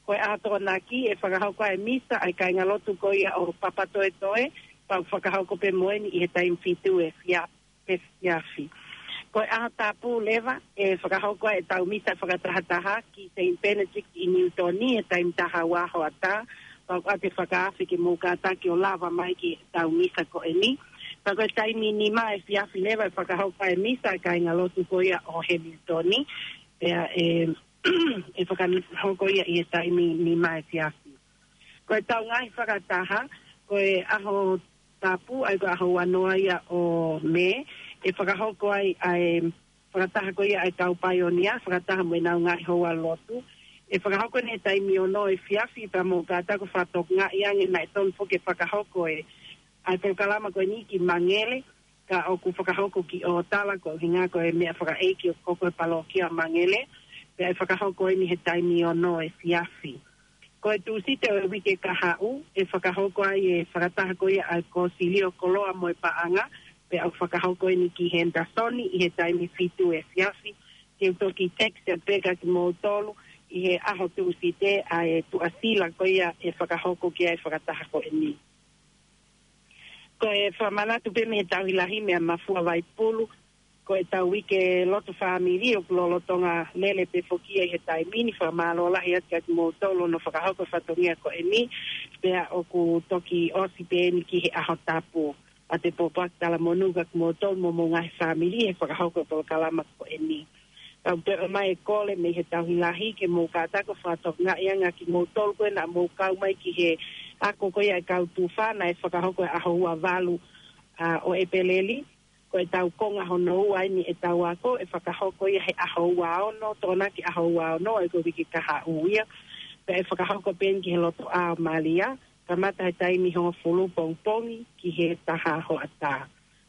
Ko e ʻaho Tokonaki ʻe fakahoko ai e misa ʻa e kāingalotu ko ia ʻo Papatoetoe, pea ʻoku fakahoko pē mo eni ʻi he taimi fitu efiafi. efiafi. Ko e ʻaho tapu leva, ʻe fakahoko ai ʻetau misa fakatahataha ki Saint Benedict ʻi Newton ʻi he taimi taha ua hoʻatā, pea ʻoku ʻoatu e fakaafe ke mou kātaki ʻo lava mai ki heʻetau misa ko eni. Pea ko e taimi nima efiafi leva ʻe fakahoko ai e misa ʻa e kāingalotu ko ia ʻo Hamilton, pea ʻe, ʻe fakahoko ia ʻi he taimi nima efiafi. Ko ʻetau ngaahi fakataha, ko e ʻaho tapu, ʻa ia ko e ʻaho ua noa ia ʻo Mē, ʻe fakahoko ai ʻa e fakataha ko ia ʻa e kau paionia, fakataha mo ʻenau ngaahi houa lotu. ʻE fakahoko eni he taimi ono efiafi, pea mou kātaki ʻo fakatokangaʻi ange naʻe tonu foki ke fakahoko e, ʻa e polokalama ko eni ki Mangele, ka ʻoku fakahoko ki ʻŌtala, ko e ʻuhinga ko e meʻa fakaʻeiki ʻoku hoko he palōkia Mangele, pea ʻe fakahoko eni he taimi ono efiafi. Ko e Tūsite ʻo e uike kahaʻu, ʻe fakahoko ai e fakataha ko ia ʻa e Kōsilio Koloa mo e Paʻanga, pea ʻoku fakahoko eni ki Henderson ʻi he taimi fitu efiafi. Te u toki text pē kia kimoutolu ʻi he ʻaho Tūsite ʻa e tuʻasila ko ia ʻe fakahoko ki ai e fakataha ko eni. Ko e fakamanatu pē mei he Tauhi Lahi mei Mafua Vaipulu, ko ʻetau uike lotu fāmili ʻoku lolotonga lele pē foki ia ʻi he taimi ni. Fakamālō lahi atu kia kimoutolu hono fakahoko e fatongia ko eni, pea ʻoku toki ʻosi pē eni ki he ʻaho tapu. ʻOatu e pōpoaki talamonū kia kimoutolu mo homou ngaahi fāmili he fakahoko e polokalama ko eni. Kau pē ʻomai e kole mei he Tauhi Lahi ke mou kātaki ʻo fakatokangaʻi ange kimoutolu ko ē naʻa mou kau mai ki he ako ko ia ʻa e kau tufā naʻe fakahoko he ʻaho ua valu, ʻa, ʻo ʻEpeleli. Ko ʻetau konga hono ua eni ʻetau ako, ʻe fakahoko ia he ʻaho ua ono, Tokonaki ʻaho ua ono, ʻa ia ko e uike kahaʻu ia. Pea ʻe fakahoko pē eni ki he Lotoʻā ʻo Malia, kamata he taimi hongofulu pongipongi ki he taha hoʻatā.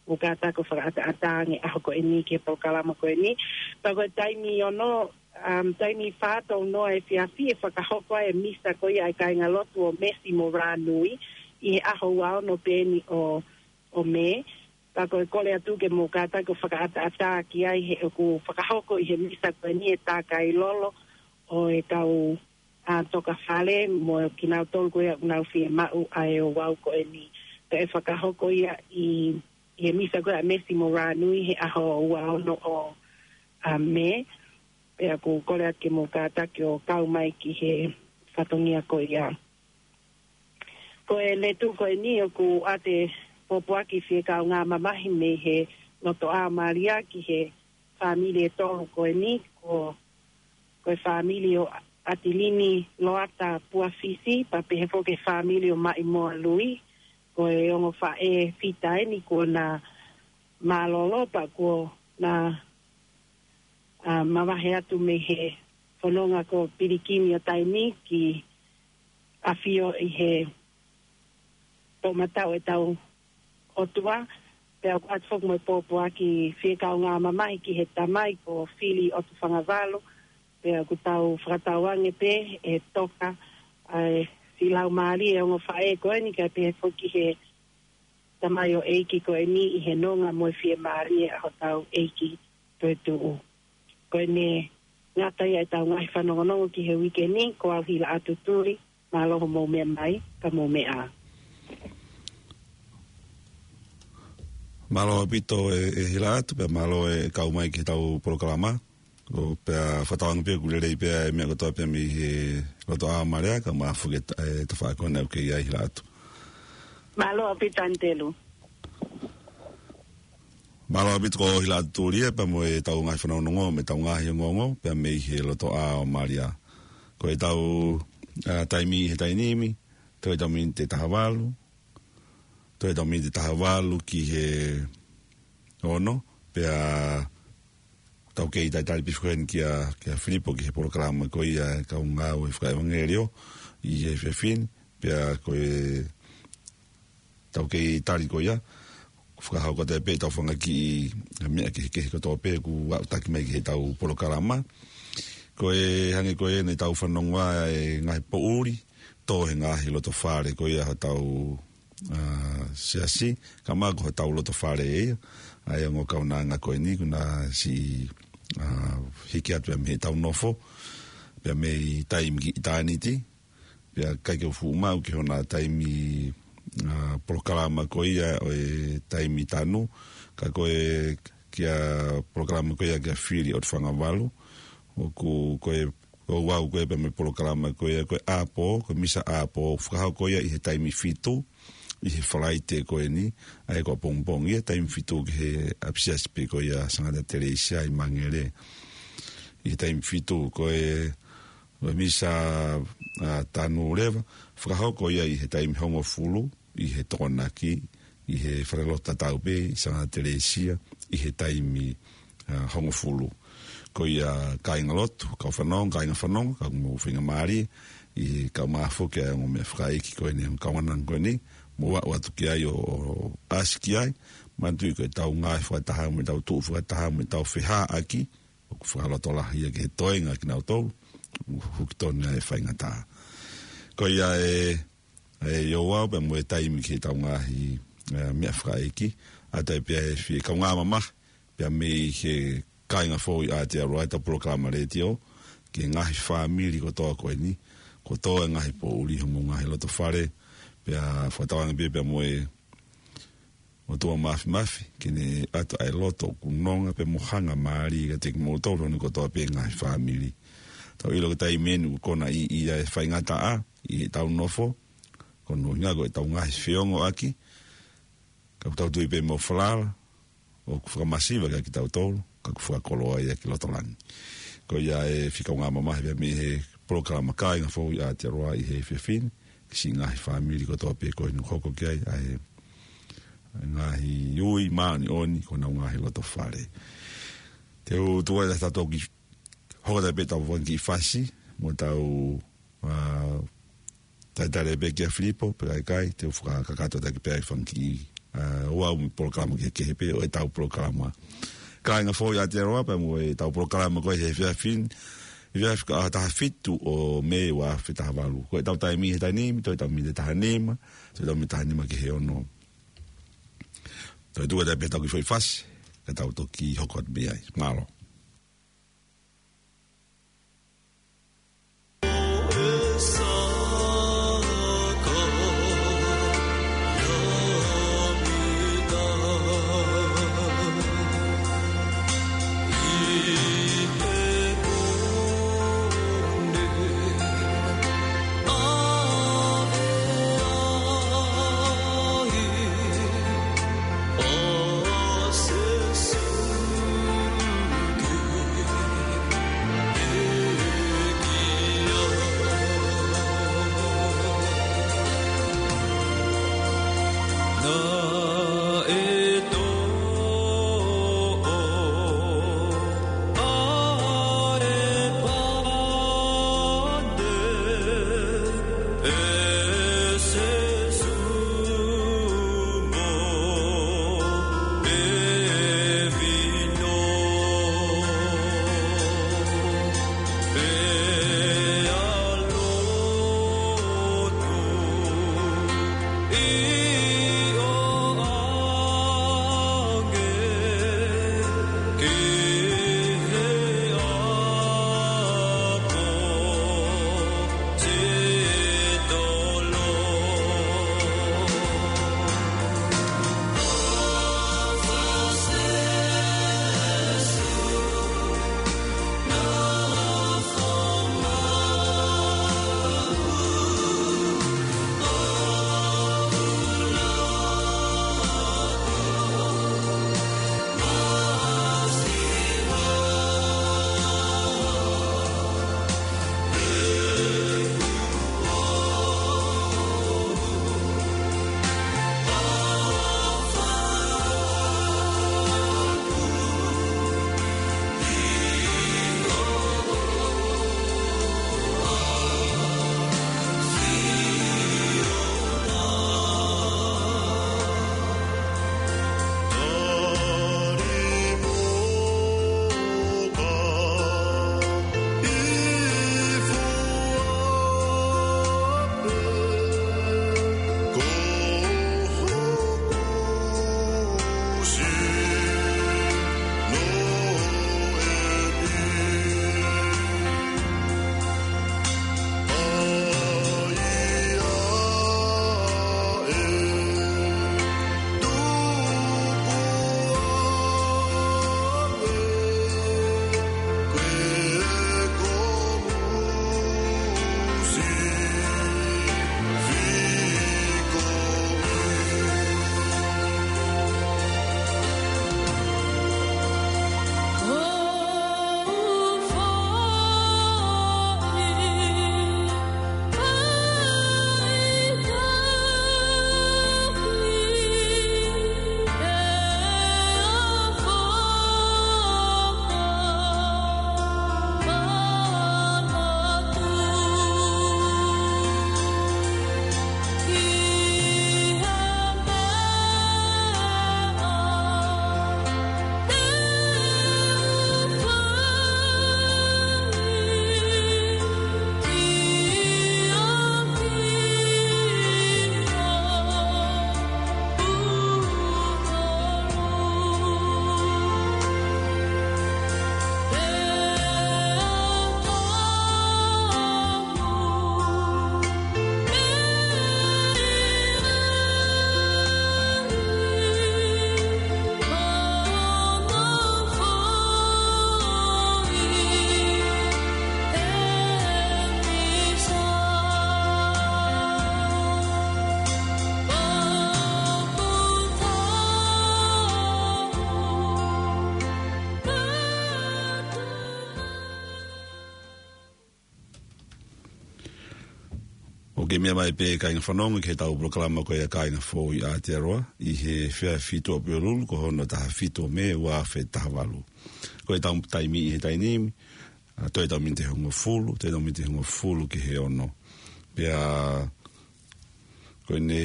Mou kātaki ʻo fakaʻataʻatā ange ʻaho ko eni ki he polokalama ko eni. Pea ko e taimi ono, um, taimi fā tolu noa efiafi ʻe fakahoko ai e misa ko ia ʻa e kāingalotu ʻo Mesi mo Rānui ʻi he ʻaho ua ono pē eni ʻo, ʻo Mē. Pea ko e kole atu ke mou kātaki ʻo fakaʻataʻatā ki ai he ʻoku fakahoko ʻi he misa ko eni e tākai lolo ʻo e kau, ʻa, tokafale mo kinautolu ko ia ʻoku nau fiemaʻu ʻa e ouau ko eni. Pea ʻe fakahoko ia ʻi, ʻi he misa ko ia ʻa Mesi mo Rānui he ʻaho ua ono ʻo, ʻa, Mē. Pea ʻoku kole atu ke mou kātaki ʻo kau mai ki he fatongia ko ia. Ko e letu ko eni ʻoku ʻoatu e pōpoaki fie kaungā mamahi mei he Lotoʻā ʻo Malia ki he fāmili ʻe tolu ko eni, ko, ko e fāmili ʻo ʻAtilini Loata Puafisi, pea pehē foki e fāmili ʻo Maʻimoa Lui, ko e ongo faʻē fita eni kuo na mālōlō pea kuo na, ʻa, mavahe atu mei he fononga ko Pilikimi ʻo taimi ki ʻAfio ʻi he toʻomataʻu ʻetau ʻOtua, pea ʻoku ʻoatu foki mo e pōpoaki fie kaungā mamahi ki he tamai ko Fili ʻOtufangavalu, pea ʻoku tau fakatauange pē ʻe toka ʻa e filaumālie ʻo e ongo faʻē ko eni kae pehē foki he tamaioʻeiki ko eni ʻi he nonga mo e fiemālie ʻa hotau ʻEiki toetuʻu. Ko ʻene ngata ia ʻetau ngaahi fanongonongo ki he uike ni, ko au Hilaʻatu Tuli, mālō hoʻomou meʻa mai, ka mou meʻa ā. Mālō ʻaupito ē, ē Hilaʻatu, pea mālō e kau mai ki heʻetau polokalama. ʻO pea fakatauange pē ʻoku lelei pē ʻa e meʻa kotoa pē mei he Lotoʻā ʻo Malia, kae ʻumaʻā foki e ta-, e tafaʻaki ko ena ʻoku ke ʻi ai Hilaʻatu. Mālō ʻaupito Anitelu. Mālō ʻaupito ko Hilaʻatu Tuli ia pea mo ʻetau ngaahi fanongonongo, mo ʻetau ngaahi ongoongo, pea mei he Lotoʻā ʻo Malia. Ko ʻetau, ʻa, taimi he taimi ni, toe ʻetau miniti ʻe taha valu, toe ʻetau miniti ʻe taha valu ki he ono, pea tau kei talitali pē foki heni kia, kia Filipo ki he polokalama ko ia ʻa e kau ngāue fakaʻevangeliō ʻi he efiafi ni, pea ko e tau kei tali ko ia, fakahoko atu pē ʻetau fanga kiʻi meʻa kehekehe kotoa pē ʻoku aʻutaki mai ki heʻetau polokalama. Ko e hangē ko ē naʻa tau fanongo ai e ngaahi poʻuli, tō he ngaahi loto fale ko ia hotau, ʻa, siasi, kae ʻumaʻā ko hotau loto fale ia, ʻa e ongo kaunanga ko eni, kuo na siʻi, ʻa, hiki atu ia mei heʻetau nofo, pea mei taimi ki ʻitāniti, pea ʻikai ke u fuʻu maʻu ki hona taimi ʻa, polokalama ko ia ʻo e taimi tanu, ka ko e kia polokalama ko ia kia Fili ʻOtufagavalu, ʻoku ko e, ʻoku ʻi ai ko e pē mo e polokalama ko ia ko e ʻapō, ko e misa ʻapō, fakahoko ia ʻi he taimi fitu, ʻi he Falaite ko eni, ʻa ia ko ʻapongipongi ia taimi fitu ki he ʻapisiasi pē ko ia Sangata Telesia ʻi Mangere. ʻI he taimi fitu ko e, ko e misa, ʻa, tanu leva, fakahoko ia ʻi he taimi hongofulu, ʻi he Tokonaki, ʻi he falelotu tatau pē, ʻi Sangata Telesia, ʻi he taimi, ʻa, hongofulu. Ko ia kāinga lotu, kau fanongo, kāinga fanongo, kau mo faingamālie, ʻi he kau mafoke ʻa e ongo meʻafakaʻeiki ko eni, kau anang ko eni, mo ʻoatu ki ai ʻo, ʻo ʻasi ki ai, manatuʻi ko e tau ngaahi fakataha, mo e tau tuʻu fakataha, mo e tau fehaʻaki, ʻoku fakalotolahi ia ki he toenga kinautolu, ʻoku hukitonu ai e faingataʻa. Ko ia e, e ʻi ʻoʻou pea mo e taimi ki he tau ngaahi, e, meʻafakaʻeiki, ʻa ia pea e fie kaungā mamahi, pea mei he kāinga foʻou ʻi Aotearoa ʻetau polokalama letiō, ki he ngaahi fāmili kotoa ko eni, kotoa e ngaahi poʻuli homou ngaahi loto fale, pea fakatauange pē pea mo e ʻOtua Māfimafi, ke ne ʻatu ʻa e loto ʻoku nonga pea mo hangamālie kiate kimoutolu hono kotoa pē ngaahi fāmili. Tau ʻilo ko e taimi eni ʻoku konā ʻi, ʻi ai e faingataʻa, ʻi heʻetau nofo, ko hono ʻuhinga ko ʻetau ngaahi feongoʻaki, ka ʻoku tau tui pē mo falala, ʻoku fakamasiva kiate kitautolu, ka ʻoku fakakoloa ia ki loto langi. Ko ia e fie kaungā mamahi pea mei he polokalama kāinga foʻou ʻi Aotearoa ʻi he efiafi ni, ki siʻi ngaahi fāmili kotoa pē ko eni ʻoku hoko ki ai, ʻa e ngaahi ui māʻoniʻoni, ko honau ngaahi loto fale. Te u tuku ai ʻetau toki hoko atu pē ʻetau fanga kiʻi fasi, mo ʻetau, ʻa, talitali pē kia Filipo, pe ʻikai, te u fakakakato atu pē ʻa e fanga kiʻi, ʻa, ʻoʻou mo e polokalama kehekehe pē ʻo ʻetau polokalama. Kāinga foʻou ʻi Aotearoa, pea mo ʻetau polokalama ko ē he efiafi ni, efiafi ko e taha fitu ʻo Mē ua afe taha valu. Ko ʻetau taimi he taimi ni, toe ʻetau miniti ʻe taha nima, toe ʻetau miniti taha nima ki he ono. Toe tuku atu pē ʻetau kiʻi foʻi fasi, ka tau toki hoko atu mei ai. Mālō. Ke meʻa mai pē kāinga fanongo ki heʻetau polokalama ko ia Kāinga Foʻou ʻi Aotearoa, ʻi he efiafi Tuʻapulelulu, ko hono taha fitu ʻo Mē, ua afe taha valu. Ko ʻetau taimi ʻi he taimi ni, ʻa, toe ʻetau miniti ʻe hongofulu, toe ʻetau miniti ʻe hongofulu ki he ono. Pea, ko ʻene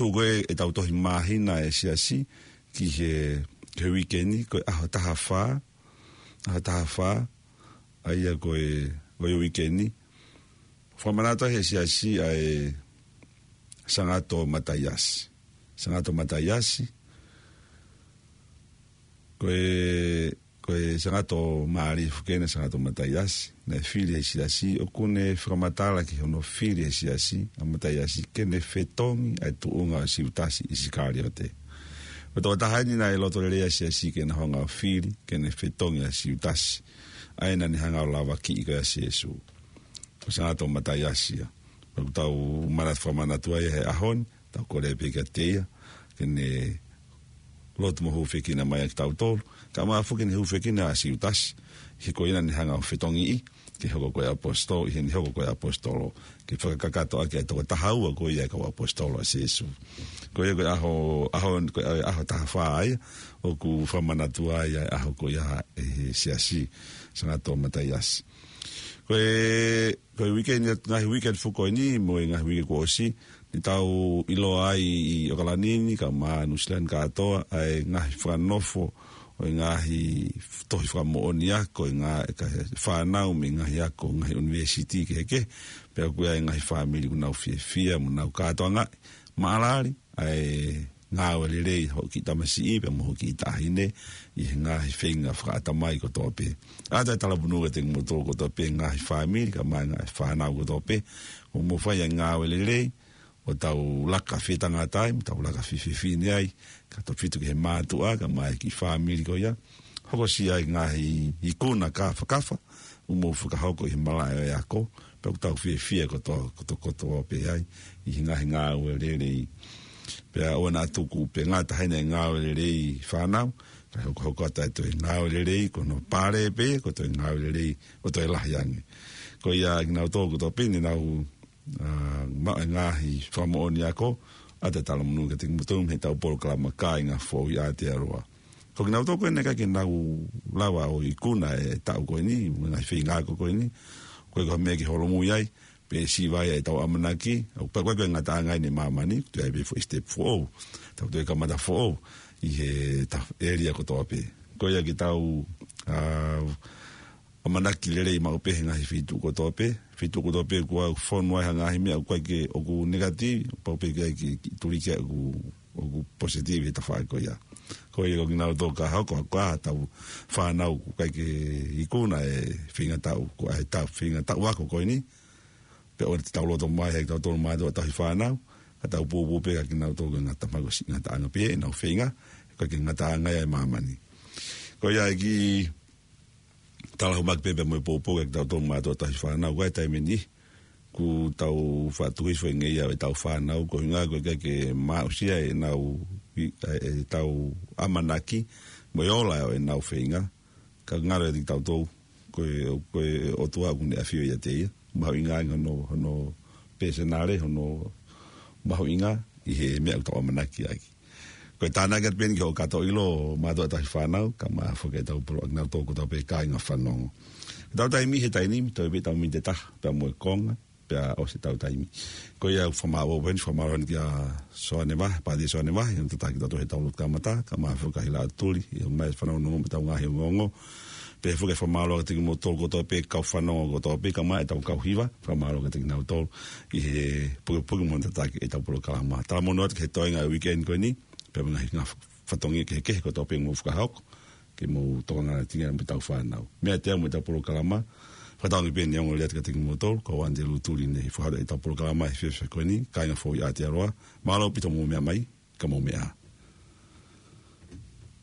tuʻu ko ē ʻetau tohi māhina ʻa e siasi ki he, ki he uike ni, ko e ʻaho taha fā, ʻaho taha fā, ʻa ia ko e, ko e uike ni. Fakamanatu ʻe he siasi ʻa e Sangato Mataiasi. Sangato Mataiasi. Ko e, ko e Sangato Mālie foki eni ʻa Sangato Mataiasi. Naʻe fili ʻe he siasi, ʻoku ne fakamatala ki hono fili ʻe he siasi ʻa Mataiasi ke ne fetongi ʻa e tuʻunga ʻo Siutasi ʻIsikaliote. Ko e tokotaha eni naʻe loto lelei ʻa e siasi ke na hanga ʻo fili, ke ne fetongi ʻa Siutasi. ʻA ia naʻa ne hanga ʻo lavakiʻi ko ia ʻa Sīsū. Ko Sangato Mataiasi ia. Pea ʻoku tau manatu, fakamanatu ai he ʻaho ni, tau kole pē kiate ia ke ne lotu mo hūfekina mai ʻa kitautolu, kae ʻumaʻā foki ke ne hūfekina ʻa Siutasi, he ko ia naʻa ne hanga ʻo fetongiʻi ke hoko ko e ʻaposetolo, ʻi heʻene hoko ko e ʻaposetolo, ke fakakakato ʻaki ʻa e toko taha ua ko ia ʻo e kau ʻaposetolo ʻa Sīsū. Ko ia ko e ʻaho, ʻaho, ko e ʻaho taha fā ia, ʻoku fakamanatu ai ʻa e ʻaho ko ia ʻe he siasi, Sangato Mataiasi. Ko e, ko e uike ni, ngaahi uike ʻa e fuko ni, mo e ngaahi uike kuo ʻosi, naʻa tau ʻiloa ai ʻi ʻOkalani ni, kae ʻumaʻā Nuʻusila ni kātoa, ʻa e ngaahi fakanofo ʻo e ngaahi tohi fakamoʻoni ako, ʻa e ngaahi, ka he fānau mei he ngaahi ako, ngaahi ʻunivēsiti kehekehe, pea ʻoku ʻi ai e ngaahi fāmili ʻoku nau fiefia, mo nau kātoangaʻi, maʻalali, ʻa e ngāue lelei hoʻo kiʻi tamasiʻi pea mo hoʻo kiʻi taʻahine ʻi he ngaahi feinga fakaʻatamai kotoa pē. ʻOatu e talamonū kiate kimoutolu kotoa pē ngaahi fāmili, kae ʻumaʻā e ngaahi fānau kotoa pē, ʻoku mou fai ʻa e ngāue lelei, ʻo tau laka fetangata ai, mo tau laka fefine ai, kae tautefito ki he mātuʻa, kae ʻumaʻā e kiʻi fāmili ko ia. Hokosia e ngaahi ikuna kāfakafa, ʻoku mou fakahoko ʻi he malaʻe ʻo e ako, pea ʻoku tau fiefia kotoa, kotoa, kotoa pē ai, ʻi he ngaahi ngāue lelei. Pea ʻoua naʻa tuku pē ngata heni e ngāue lelei fānau, kae hokohoko atu e toe ngāue lelei, ko hono pale pē, ko e toe ngāue lelei, ʻo toe lahi ange. Ko ia kinautolu kotoa pē naʻa nau, ʻa, maʻu e ngaahi fakamoʻoni ako, ʻoatu e talamonū kiate kimoutolu mei heʻetau polokalama Kāinga Foʻou ʻi Aotearoa. Ko kinautolu ko ē naʻe ʻikai ke nau lava ʻo ikuna e taʻu ko eni, mo e ngaahi feinga ako ko eni, ko e ko e meʻa ke holomui ai, pe siva ai ʻetau ʻamanaki, ʻoku pau ko e ngataʻanga ʻi māmani, toe ʻi ai pē foʻi step foʻou, tau toe kamata foʻou, ʻi he ta-, ʻēlia kotoa pē. Ko ia ke tau, ʻa, ʻamanaki lelei maʻu pē he ngaahi feituʻu kotoa pē, feituʻu kotoa pē ʻoku fonu ai ha ngaahi meʻa ʻoku ʻikai ke, ʻoku negative, pau pē ke, ke, ke tuli ke ʻoku ʻoku positive he tafaʻaki ko ia. Ko ia ko kinautolu ka hoko, ko ʻetau fānau ʻoku ʻikai ke ikuna e feinga taʻu, ko e taʻu, feinga taʻu ako ko eni. Pea ʻoua te tau loto mai he kitautolu mātuʻa tauhi fānau, ka tau pōpō pē kia kinautolu ko e ngata mai ko e siʻi ngataʻanga pē ʻenau feinga, ʻikai ke ngataʻanga ia ʻi māmani. Ko ia e kiʻi talahau mai pē pea mo e pōpō kia kitautolu mātuʻa tauhi fānau, ko e taimi ni, ʻoku tau faʻa tuku hifo e ngeia ʻo ʻetau fānau, ko e ʻuhinga ko e ʻikai ke maʻusia ʻenau, ʻi, ʻe, ʻetau ʻamanaki, mo e ola ʻo ʻenau feinga, ka ngalo ʻiate kitautolu, ko e, ko e ʻOtua ʻoku ne ʻafio ʻiate ia, mahuʻinga ange hono, hono pēsonale, hono mahuʻinga, ʻi he meʻa ʻoku tau ʻamanaki ai. Ko e tānaki atu pē eni ki hoʻo kātoa ʻilo mātuʻa tauhi fānau, kae ʻumaʻā foki ʻetau polo-, kinautolu kotoa pē kāinga fanongo. Ko ʻetau taimi he taimi ni, toe pē ʻetau miniti ʻe taha, pea mo e konga, pea ʻosi ʻetau taimi. Ko ia ʻoku fakamālō pē eni, fakamālō eni kia Soane Vahe, Pātia Soane Vahe, ʻi hono tataki kitautolu heʻetau lotu kamata, kae ʻumaʻā foki kia Hilaʻatuli, ʻi hono ʻomai e fanongonongo mo ʻetau ngaahi ongoongo. Pehē foki e fakamālō kiate kimoutolu kotoa pē kau fanongo kotoa pē, kae ʻumaʻā ʻetau kau hiva, fakamālō kiate kinautolu, ʻi he pukepuke mo hono tataki ʻetau polokalama. Talamonū atu ki he toenga e uike ni ko eni, pea mo e ngaahi fatongia kehekehe kotoa pē ʻoku mou fakahoko, ke mou tokanga atu ki ai mo ʻetau fānau. Meiate au mo ʻetau polokalama, fakatauange pē ʻe ongo lelei atu kiate kimoutolu, ko Uante Lutuli ne fakahoko ʻetau polokalama he efiafi ko eni, Kāinga Foʻou ʻi Aotearoa, mālō ʻaupito hoʻomou meʻa mai, ka mou meʻa ā.